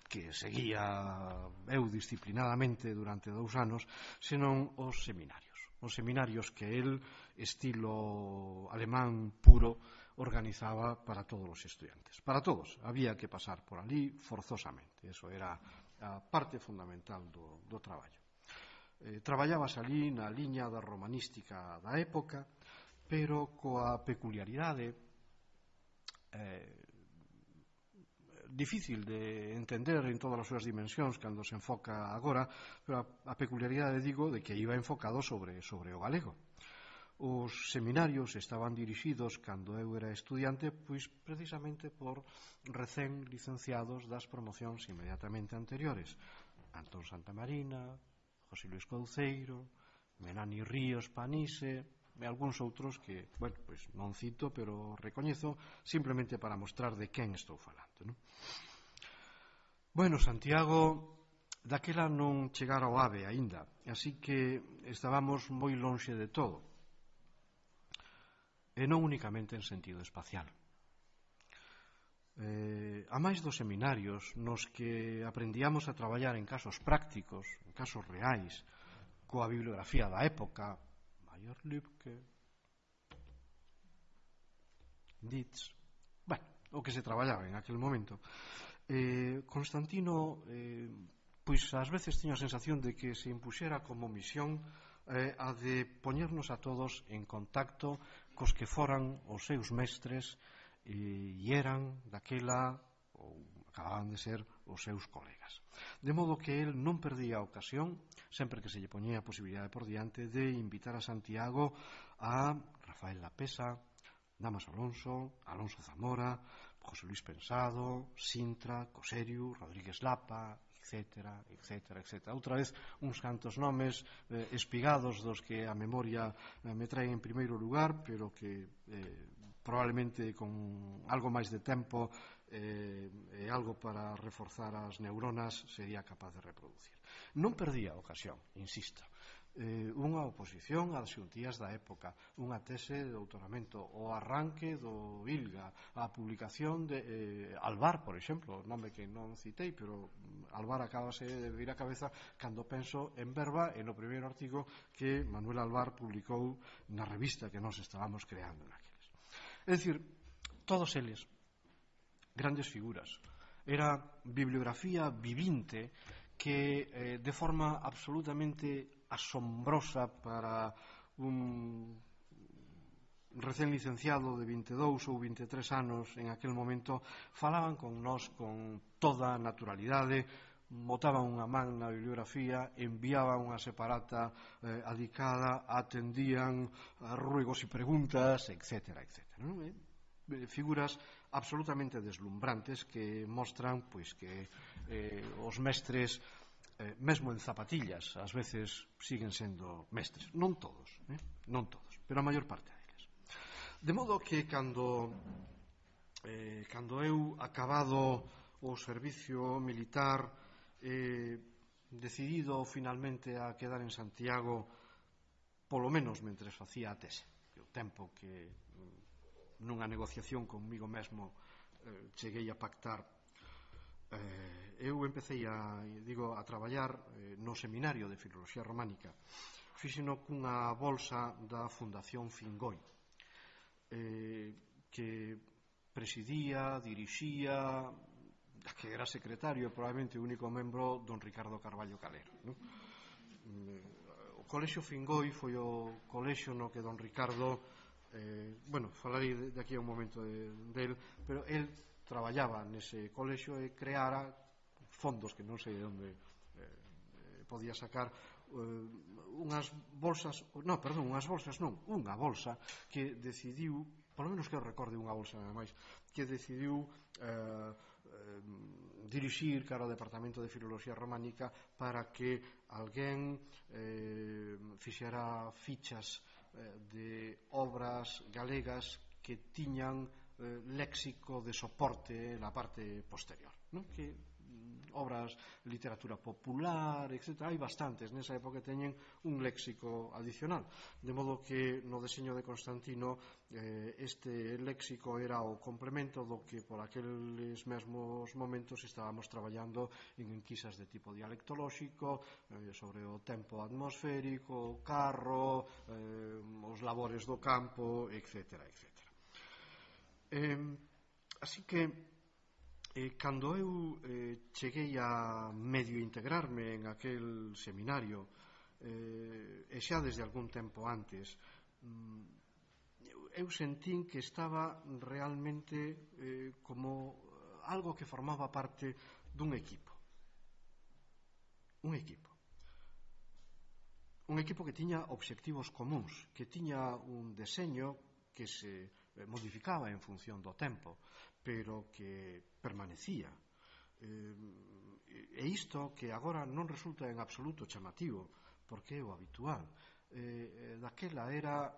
que seguía eu disciplinadamente durante 2 anos, senón os seminarios. Os seminarios que el, estilo alemán puro, organizaba para todos os estudiantes. Para todos, había que pasar por ali forzosamente. Eso era a parte fundamental do traballo. Traballábase ali na liña da romanística da época, pero coa peculiaridade difícil de entender en todas as súas dimensións cando se enfoca agora, pero a peculiaridade, digo, de que iba enfocado sobre o galego. Os seminarios estaban dirixidos, cando eu era estudiante, pois precisamente por recén licenciados das promocións inmediatamente anteriores. Antón Santamarina, José Luis Couceiro, Menani Ríos Panise e algúns outros que, bueno, pois non cito, pero recoñezo simplemente para mostrar de quen estou falando, non? Bueno, Santiago daquela non chegara ao AVE aínda, así que estábamos moi lonxe de todo, e non únicamente en sentido espacial. A máis dos seminarios nos que aprendíamos a traballar en casos prácticos, en casos reais, coa bibliografía da época, Mayer Lübke, Dietz, bueno, o que se traballaba en aquel momento, Constantino pois ás veces tiña a sensación de que se impuxera como misión a de poñernos a todos en contacto cos que foran os seus mestres e eran daquela, ou acababan de ser, os seus colegas. De modo que el non perdía a ocasión, sempre que se lle poñía a posibilidade por diante, de invitar a Santiago a Rafael Lapesa, Damas Alonso, Alonso Zamora, José Luis Pensado, Sintra, Coserio, Rodríguez Lapa, etcétera, etcétera, etcétera. Outra vez, uns cantos nomes espigados dos que a memoria me trae en primeiro lugar, pero que probablemente con algo máis de tempo e algo para reforzar as neuronas sería capaz de reproducir. Non perdía a ocasión, insisto, unha oposición ás xuntías da época, unha tese de doutoramento, o arranque do ILGA, a publicación de Alvar, por exemplo, nome que non citei, pero Alvar acabase de vir a cabeza cando penso en Verba e no primeiro artigo que Manuel Alvar publicou na revista que nós estábamos creando naqueles. É dicir, todos eles, grandes figuras, era bibliografía vivinte que de forma absolutamente asombrosa para un recén licenciado de 22 ou 23 anos en aquel momento, falaban con nós con toda a naturalidade, botaban unha man na bibliografía, enviaban unha separata adicada, atendían a ruegos e preguntas, etcétera, etcétera, non? Figuras absolutamente deslumbrantes que mostran pois que os mestres, mesmo en zapatillas, ás veces siguen sendo mestres. Non todos, non todos, pero a maior parte deles. De modo que cando eu acabado o servicio militar, decidido finalmente a quedar en Santiago, polo menos mentre facía a tese, o tempo que nunha negociación conmigo mesmo cheguei a pactar, eu empecé a traballar no seminario de Filoloxía Románica. Fíxeno cunha bolsa da Fundación Fingoi, que presidía, dirixía, que era secretario, probablemente o único membro, don Ricardo Carballo Calero, non? O Colexio Fingoi foi o colexio no que don Ricardo, falarei de aquí a un momento del, pero el traballaba nese colexio e creara fondos que non sei de onde podía sacar unha bolsa que decidiu, polo menos que eu recorde unha bolsa nada máis, que decidiu dirixir cara ao Departamento de Filoloxía Románica para que alguén fixera fichas de obras galegas que tiñan léxico de soporte na parte posterior, non? Que obras de literatura popular, etc. Hai bastantes nesa época que teñen un léxico adicional, de modo que no deseño de Constantino este léxico era o complemento do que por aqueles mesmos momentos estábamos traballando en enquisas de tipo dialectolóxico sobre o tempo atmosférico, o carro, os labores do campo, etc. Así que cando eu cheguei a medio integrarme en aquel seminario e xa desde algún tempo antes, eu sentín que estaba realmente como algo que formaba parte dun equipo. Un equipo que tiña obxectivos comuns, que tiña un deseño que se modificaba en función do tempo, pero que permanecía. E isto que agora non resulta en absoluto chamativo, porque é o habitual, daquela era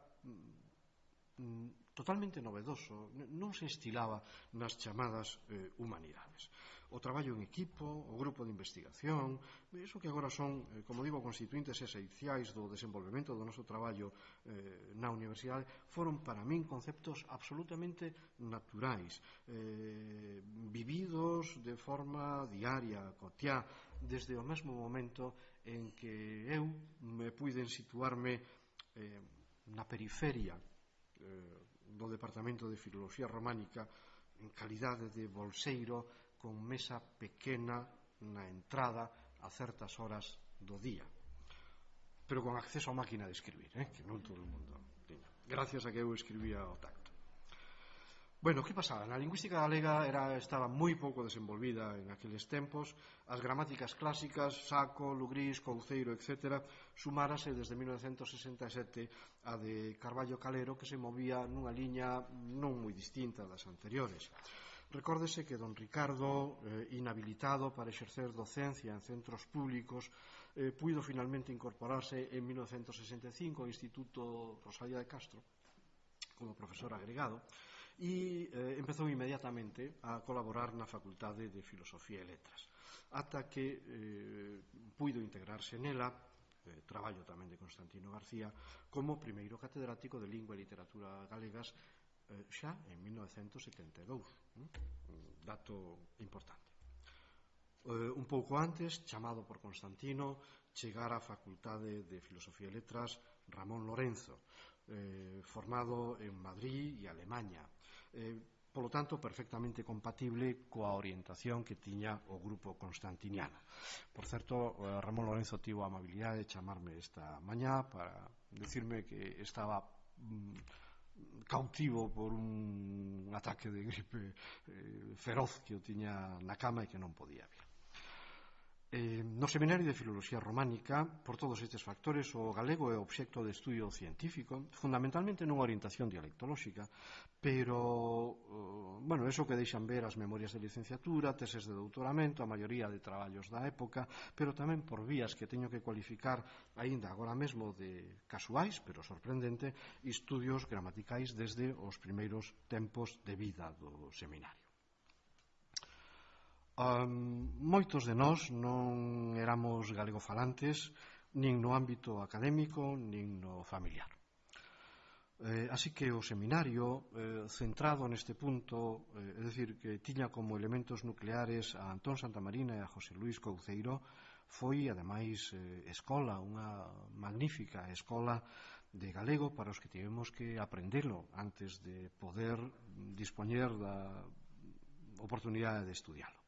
totalmente novedoso, non se estilaba nas chamadas humanidades. O traballo en equipo, o grupo de investigación, iso que agora son, como digo, constituintes esenciais do desenvolvemento do noso traballo na universidade, foron para min conceptos absolutamente naturais, vividos de forma diaria, cotiá, desde o mesmo momento en que eu me puiden situarme na periferia do Departamento de Filoloxía Románica en calidade de bolseiro con mesa pequena na entrada a certas horas do día, pero con acceso a máquina de escribir, que non todo o mundo tiña, gracias a que eu escribía ao tacto. Bueno, que pasaba? Na lingüística galega estaba moi pouco desenvolvida en aqueles tempos. As gramáticas clásicas, Saco, Lugrís, Couceiro, etc., sumárase desde 1967 a de Carballo Calero, que se movía nunha liña non moi distinta das anteriores. Recórdese que don Ricardo, inhabilitado para exercer docencia en centros públicos, puido finalmente incorporarse en 1965 ao Instituto Rosalía de Castro como profesor agregado, e empezou inmediatamente a colaborar na Facultade de Filosofía e Letras, ata que puido integrarse nela, traballo tamén de Constantino García, como primeiro catedrático de Lingua e Literatura Galegas xa en 1972, un dato importante. Un pouco antes, chamado por Constantino, chegara á Facultade de Filosofía e Letras Ramón Lorenzo, formado en Madrid e Alemaña, polo tanto perfectamente compatible coa orientación que tiña o grupo constantiniano. Por certo, Ramón Lorenzo tivo a amabilidade de chamarme esta mañá para decirme que estaba cautivo por un ataque de gripe feroz que o tiña na cama e que non podía vir. No Seminario de Filoloxía Románica, por todos estes factores, o galego é obxecto de estudio científico, fundamentalmente nunha orientación dialectolóxica, pero, bueno, eso que deixan ver as memorias de licenciatura, teses de doutoramento, a maioría de traballos da época, pero tamén por vías que teño que cualificar aínda agora mesmo de casuais, pero sorprendente, estudios gramaticais desde os primeiros tempos de vida do seminario. Moitos de nós non éramos galegofalantes nin no ámbito académico nin no familiar, así que o seminario, centrado neste punto, é dicir, que tiña como elementos nucleares a Antón Santamarina e a José Luís Couceiro, foi ademais escola, unha magnífica escola de galego para os que tivemos que aprendelo antes de poder dispoñer da oportunidade de estudialo.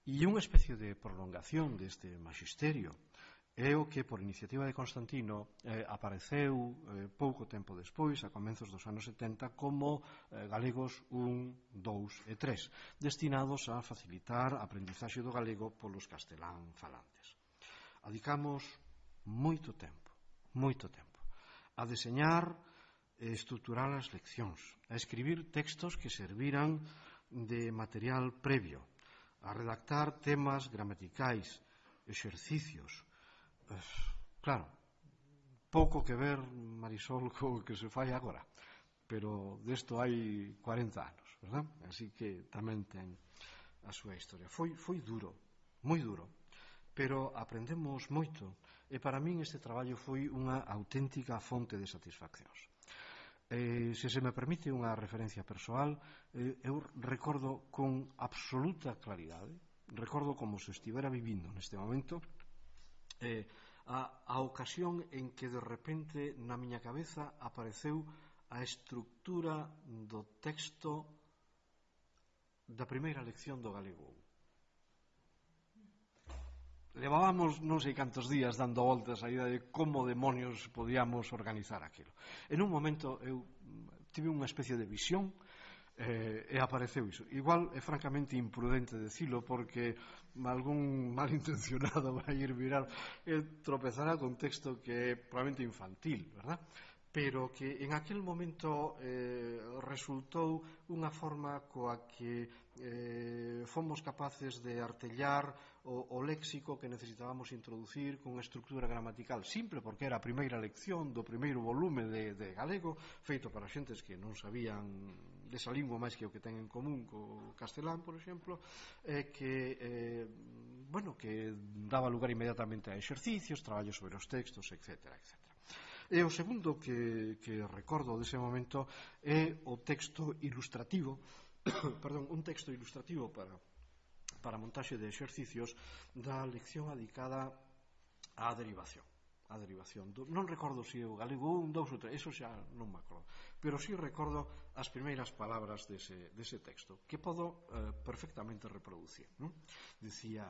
E unha especie de prolongación deste magisterio é o que, por iniciativa de Constantino, apareceu pouco tempo despois, a comenzos dos anos 70, como Galegos 1, 2 e 3, destinados a facilitar a aprendizaxe do galego polos castelán falantes. Adicamos moito tempo a deseñar e estruturar as leccións, a escribir textos que serviran de material previo, a redactar temas gramaticais, exercicios. Claro, pouco que ver, Marisol, co que se fai agora, pero desto hai 40 anos, verdad? Así que tamén ten súa historia. Foi duro, moi duro, pero aprendemos moito, e para min este traballo foi unha auténtica fonte de satisfaccións. Se se me permite unha referencia persoal, eu recordo con absoluta claridade, recordo como se estivera vivindo neste momento, a ocasión en que de repente na miña cabeza apareceu a estructura do texto da primeira lección do galego. Levábamos non sei cantos días dando voltas a idea de como demonios podíamos organizar aquilo. En un momento eu tive unha especie de visión e apareceu iso. Igual é francamente imprudente decilo porque algún malintencionado vai ir viral e tropezará con texto que é probablemente infantil, verdad? Pero que en aquel momento resultou unha forma coa que fomos capaces de artellar o léxico que necesitábamos introducir con unha estructura gramatical simple, porque era a primeira lección do primeiro volume de galego, feito para xentes que non sabían desa lingua máis que o que ten en común co castelán, por exemplo, que daba lugar inmediatamente a exercicios, traballos sobre os textos, etc. E o segundo que recordo dese momento é o texto ilustrativo un texto ilustrativo para montaxe de exercicios da lección adicada á derivación. Non recordo se o galego 1, 2 ou 3, eso xa non me acordo, pero sí recordo as primeiras palabras dese texto, que podo perfectamente reproducir. Dicía: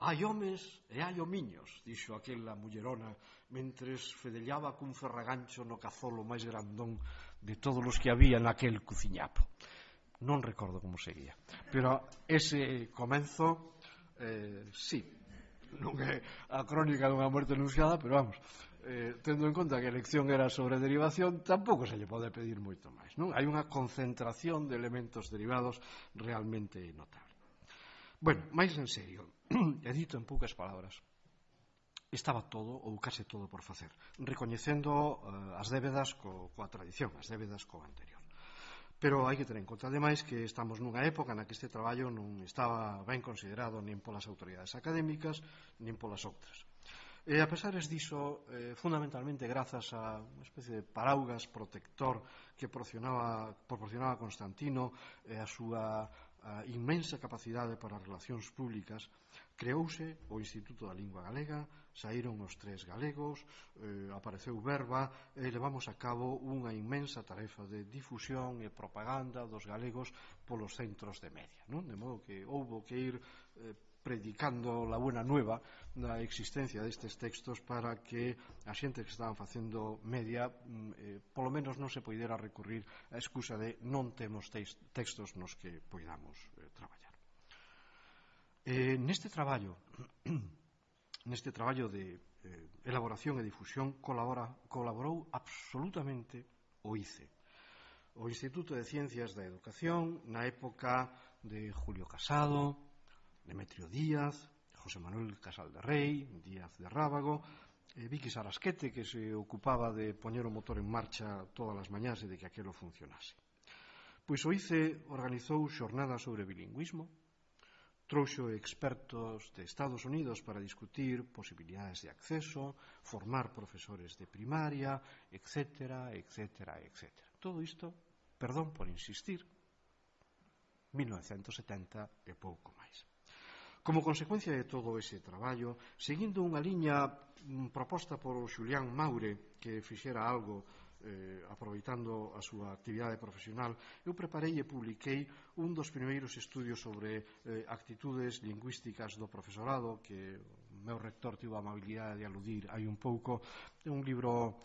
hai homes e hai homiños, dixo aquela mullerona, mentres fedellaba cun ferragancho no cazolo máis grandón de todos os que había naquel cuciñapo. Non recordo como seguía, pero ese comenzo sí, non é a crónica dunha muerte anunciada, pero vamos, tendo en conta que a lección era sobre derivación, tampouco se lle pode pedir moito máis, non? Hai unha concentración de elementos derivados realmente notable. Bueno, máis en serio, e dito en poucas palabras, estaba todo, ou case todo, por facer, recoñecendo as débedas coa tradición, as débedas co anterior. Pero hai que ter en conta, ademais, que estamos nunha época na que este traballo non estaba ben considerado nin polas autoridades académicas nin polas outras. E a pesares diso, fundamentalmente grazas a unha especie de paraugas protector que proporcionaba Constantino e a súa inmensa capacidade para as relacións públicas, creouse o Instituto da Lingua Galega, saíron os 3 galegos, apareceu Verba e levamos a cabo unha inmensa tarefa de difusión e propaganda dos galegos polos centros de media, non? De modo que houbo que ir predicando la buena nueva da existencia destes textos para que a xente que estaban facendo media polo menos non se poidera recurrir a excusa de non temos textos nos que poidamos traballar. Neste traballo de elaboración e difusión colaborou absolutamente o ICE, o Instituto de Ciencias da Educación, na época de Julio Casado, Demetrio Díaz, José Manuel Casal de Rei, Díaz de Rábago, Vicky Sarasquete, que se ocupaba de poñer o motor en marcha todas as mañás e de que aquilo funcionase. Pois o ICE organizou xornadas sobre bilingüismo, trouxo expertos de Estados Unidos para discutir posibilidades de acceso, formar profesores de primaria, etc. Todo isto, perdón por insistir, 1970 e pouco máis. Como consecuencia de todo ese traballo, seguindo unha liña proposta por Xulián Maure, que fixera algo aproveitando a súa actividade profesional, eu preparei e publiquei un dos primeiros estudios sobre actitudes lingüísticas do profesorado, que o meu rector tivo a amabilidade de aludir hai un pouco. É un libro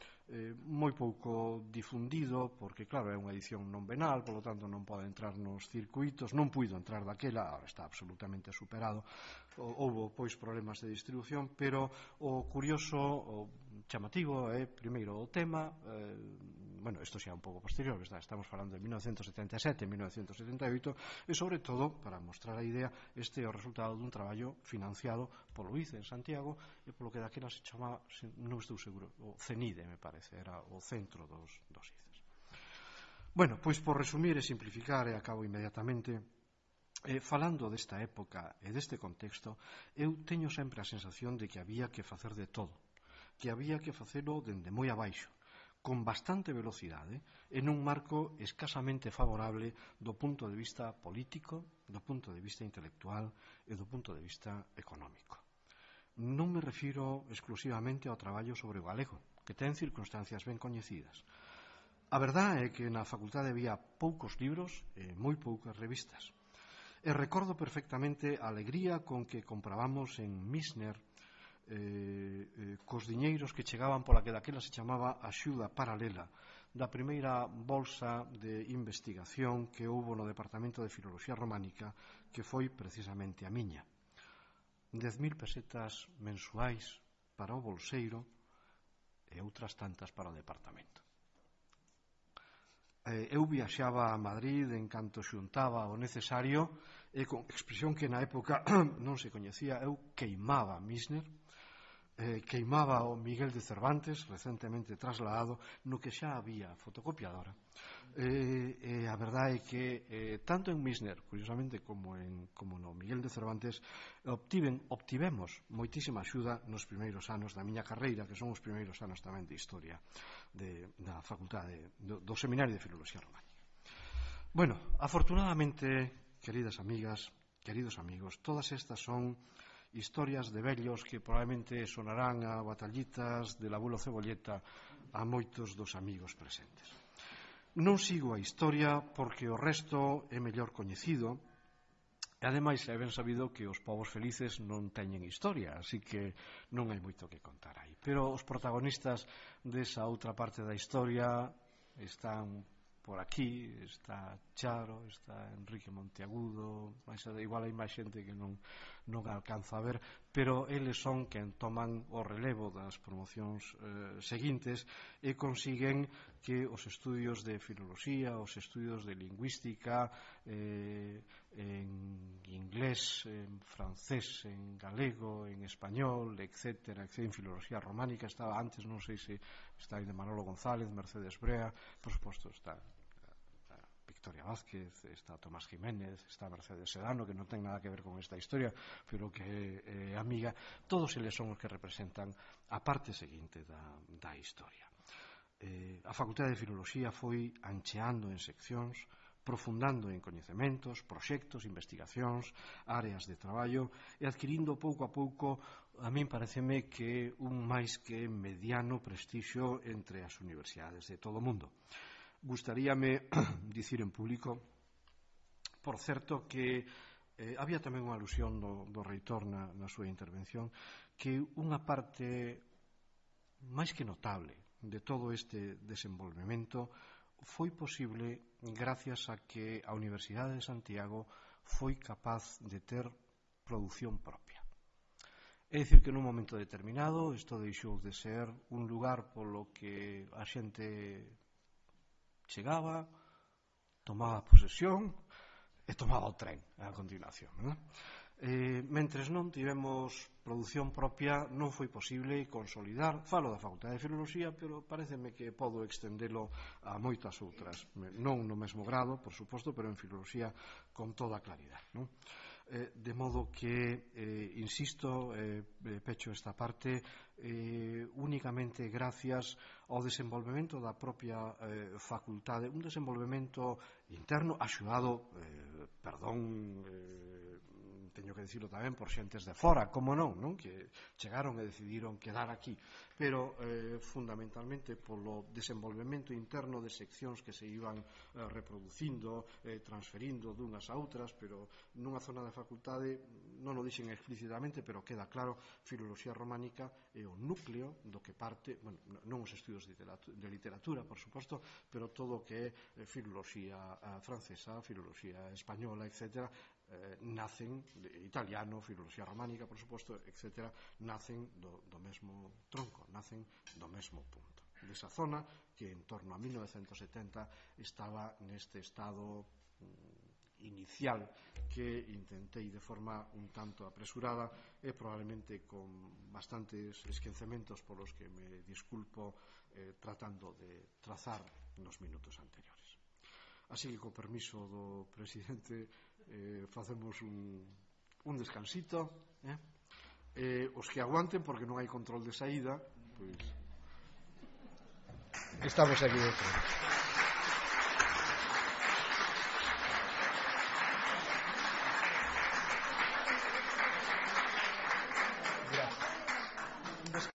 moi pouco difundido, porque claro, é unha edición non venal, polo tanto non pode entrar nos circuitos, non puido entrar daquela, agora está absolutamente superado, houbo pois problemas de distribución, pero o curioso, o chamativo é primeiro o tema, bueno, isto xa é un pouco posterior, estamos falando de 1977, 1978, e sobre todo, para mostrar a idea, este é o resultado dun traballo financiado polo ICE en Santiago e polo que daquela se chamaba, non estou seguro, o CENIDE, me parece, era o centro dos ICES. Bueno, pois por resumir e simplificar, e acabo inmediatamente, Falando desta época e deste contexto, eu teño sempre a sensación de que había que facer de todo, que había que facelo dende moi abaixo, con bastante velocidade e nun marco escasamente favorable do punto de vista político, do punto de vista intelectual e do punto de vista económico. Non me refiro exclusivamente ao traballo sobre o galego, que ten circunstancias ben coñecidas. A verdade é que na facultade había poucos libros e moi poucas revistas. E recordo perfectamente a alegría con que comprabamos en Misner cos diñeiros que chegaban pola que daquela se chamaba axuda paralela da primeira bolsa de investigación que houbo no Departamento de Filoloxía Románica, que foi precisamente a miña. 10.000 pesetas mensuais para o bolseiro e outras tantas para o departamento. Eu viaxaba a Madrid en canto xuntaba o necesario e con expresión que na época non se coñecía, eu queimaba Misner, queimaba o Miguel de Cervantes, recentemente trasladado, no que xa había fotocopiadora. A verdade é que tanto en Misner, curiosamente, como no Miguel de Cervantes, obtivemos moitísima axuda nos primeiros anos da miña carreira, que son os primeiros anos tamén de historia da facultade do Seminario de Filoloxía Románica. Bueno, afortunadamente, queridas amigas, queridos amigos, todas estas son historias de vellos que probablemente sonarán a batallitas del abuelo Cebolleta a moitos dos amigos presentes. Non sigo a historia porque o resto é mellor coñecido e ademais é ben sabido que os povos felices non teñen historia, así que non hai moito que contar aí. Pero os protagonistas desa outra parte da historia están por aquí, está Charo, está Enrique Monteagudo, igual hai máis xente que non alcanza a ver, pero eles son quen toman o relevo das promocións seguintes e consiguen que os estudios de filoloxía, os estudios de lingüística, en inglés, en francés, en galego, en español, etc., en filoloxía románica, estaba antes, non sei se está aí de Manolo González, Mercedes Brea, por suposto está Victoria Vázquez, está Tomás Jiménez, está Mercedes Sedano, que non ten nada que ver con esta historia, pero que é amiga. Todos eles son os que representan a parte seguinte da historia. A Facultade de Filoloxía foi ancheando en seccións, profundando en coñecementos, proxectos, investigacións, áreas de traballo e adquirindo pouco a pouco, a min pareceme que un máis que mediano prestixio entre as universidades de todo o mundo. Gustaríame dicir en público, por certo, que había tamén unha alusión do reitor na súa intervención, que unha parte máis que notable de todo este desenvolvemento foi posible gracias a que a Universidade de Santiago foi capaz de ter produción propia. É dicir que nun momento determinado isto deixou de ser un lugar polo que a xente chegaba, tomaba posesión e tomaba o tren a continuación, non? Mentres non tivemos produción propia, non foi posible consolidar, falo da Facultade de Filoloxía, pero pareceme que podo extendelo a moitas outras, non no mesmo grado, por suposto, pero en Filoloxía con toda claridade, non? De modo que, insisto, pecho esta parte, únicamente gracias ao desenvolvemento da propia facultade, un desenvolvemento interno axudado, teño que dicirlo tamén por xentes de fora, como non, que chegaron e decidiron quedar aquí, pero fundamentalmente polo desenvolvemento interno de seccións que se iban reproducindo, transferindo dunhas a outras, pero nunha zona da facultade, non o dixen explícitamente, pero queda claro, filoloxía románica é o núcleo do que parte, bueno, non os estudios de literatura, por suposto, pero todo o que é filoloxía francesa, filoloxía española, etc., nacen, italiano, filoloxía románica, por suposto, etc., nacen do mesmo tronco, nacen do mesmo punto. Desa zona que en torno a 1970 estaba neste estado inicial que intentei de forma un tanto apresurada e probablemente con bastantes esquecementos polos que me disculpo tratando de trazar nos minutos anteriores. Así que, co permiso do presidente, facemos un descansito, os que aguanten porque non hai control de saída, pois estamos aquí dentro.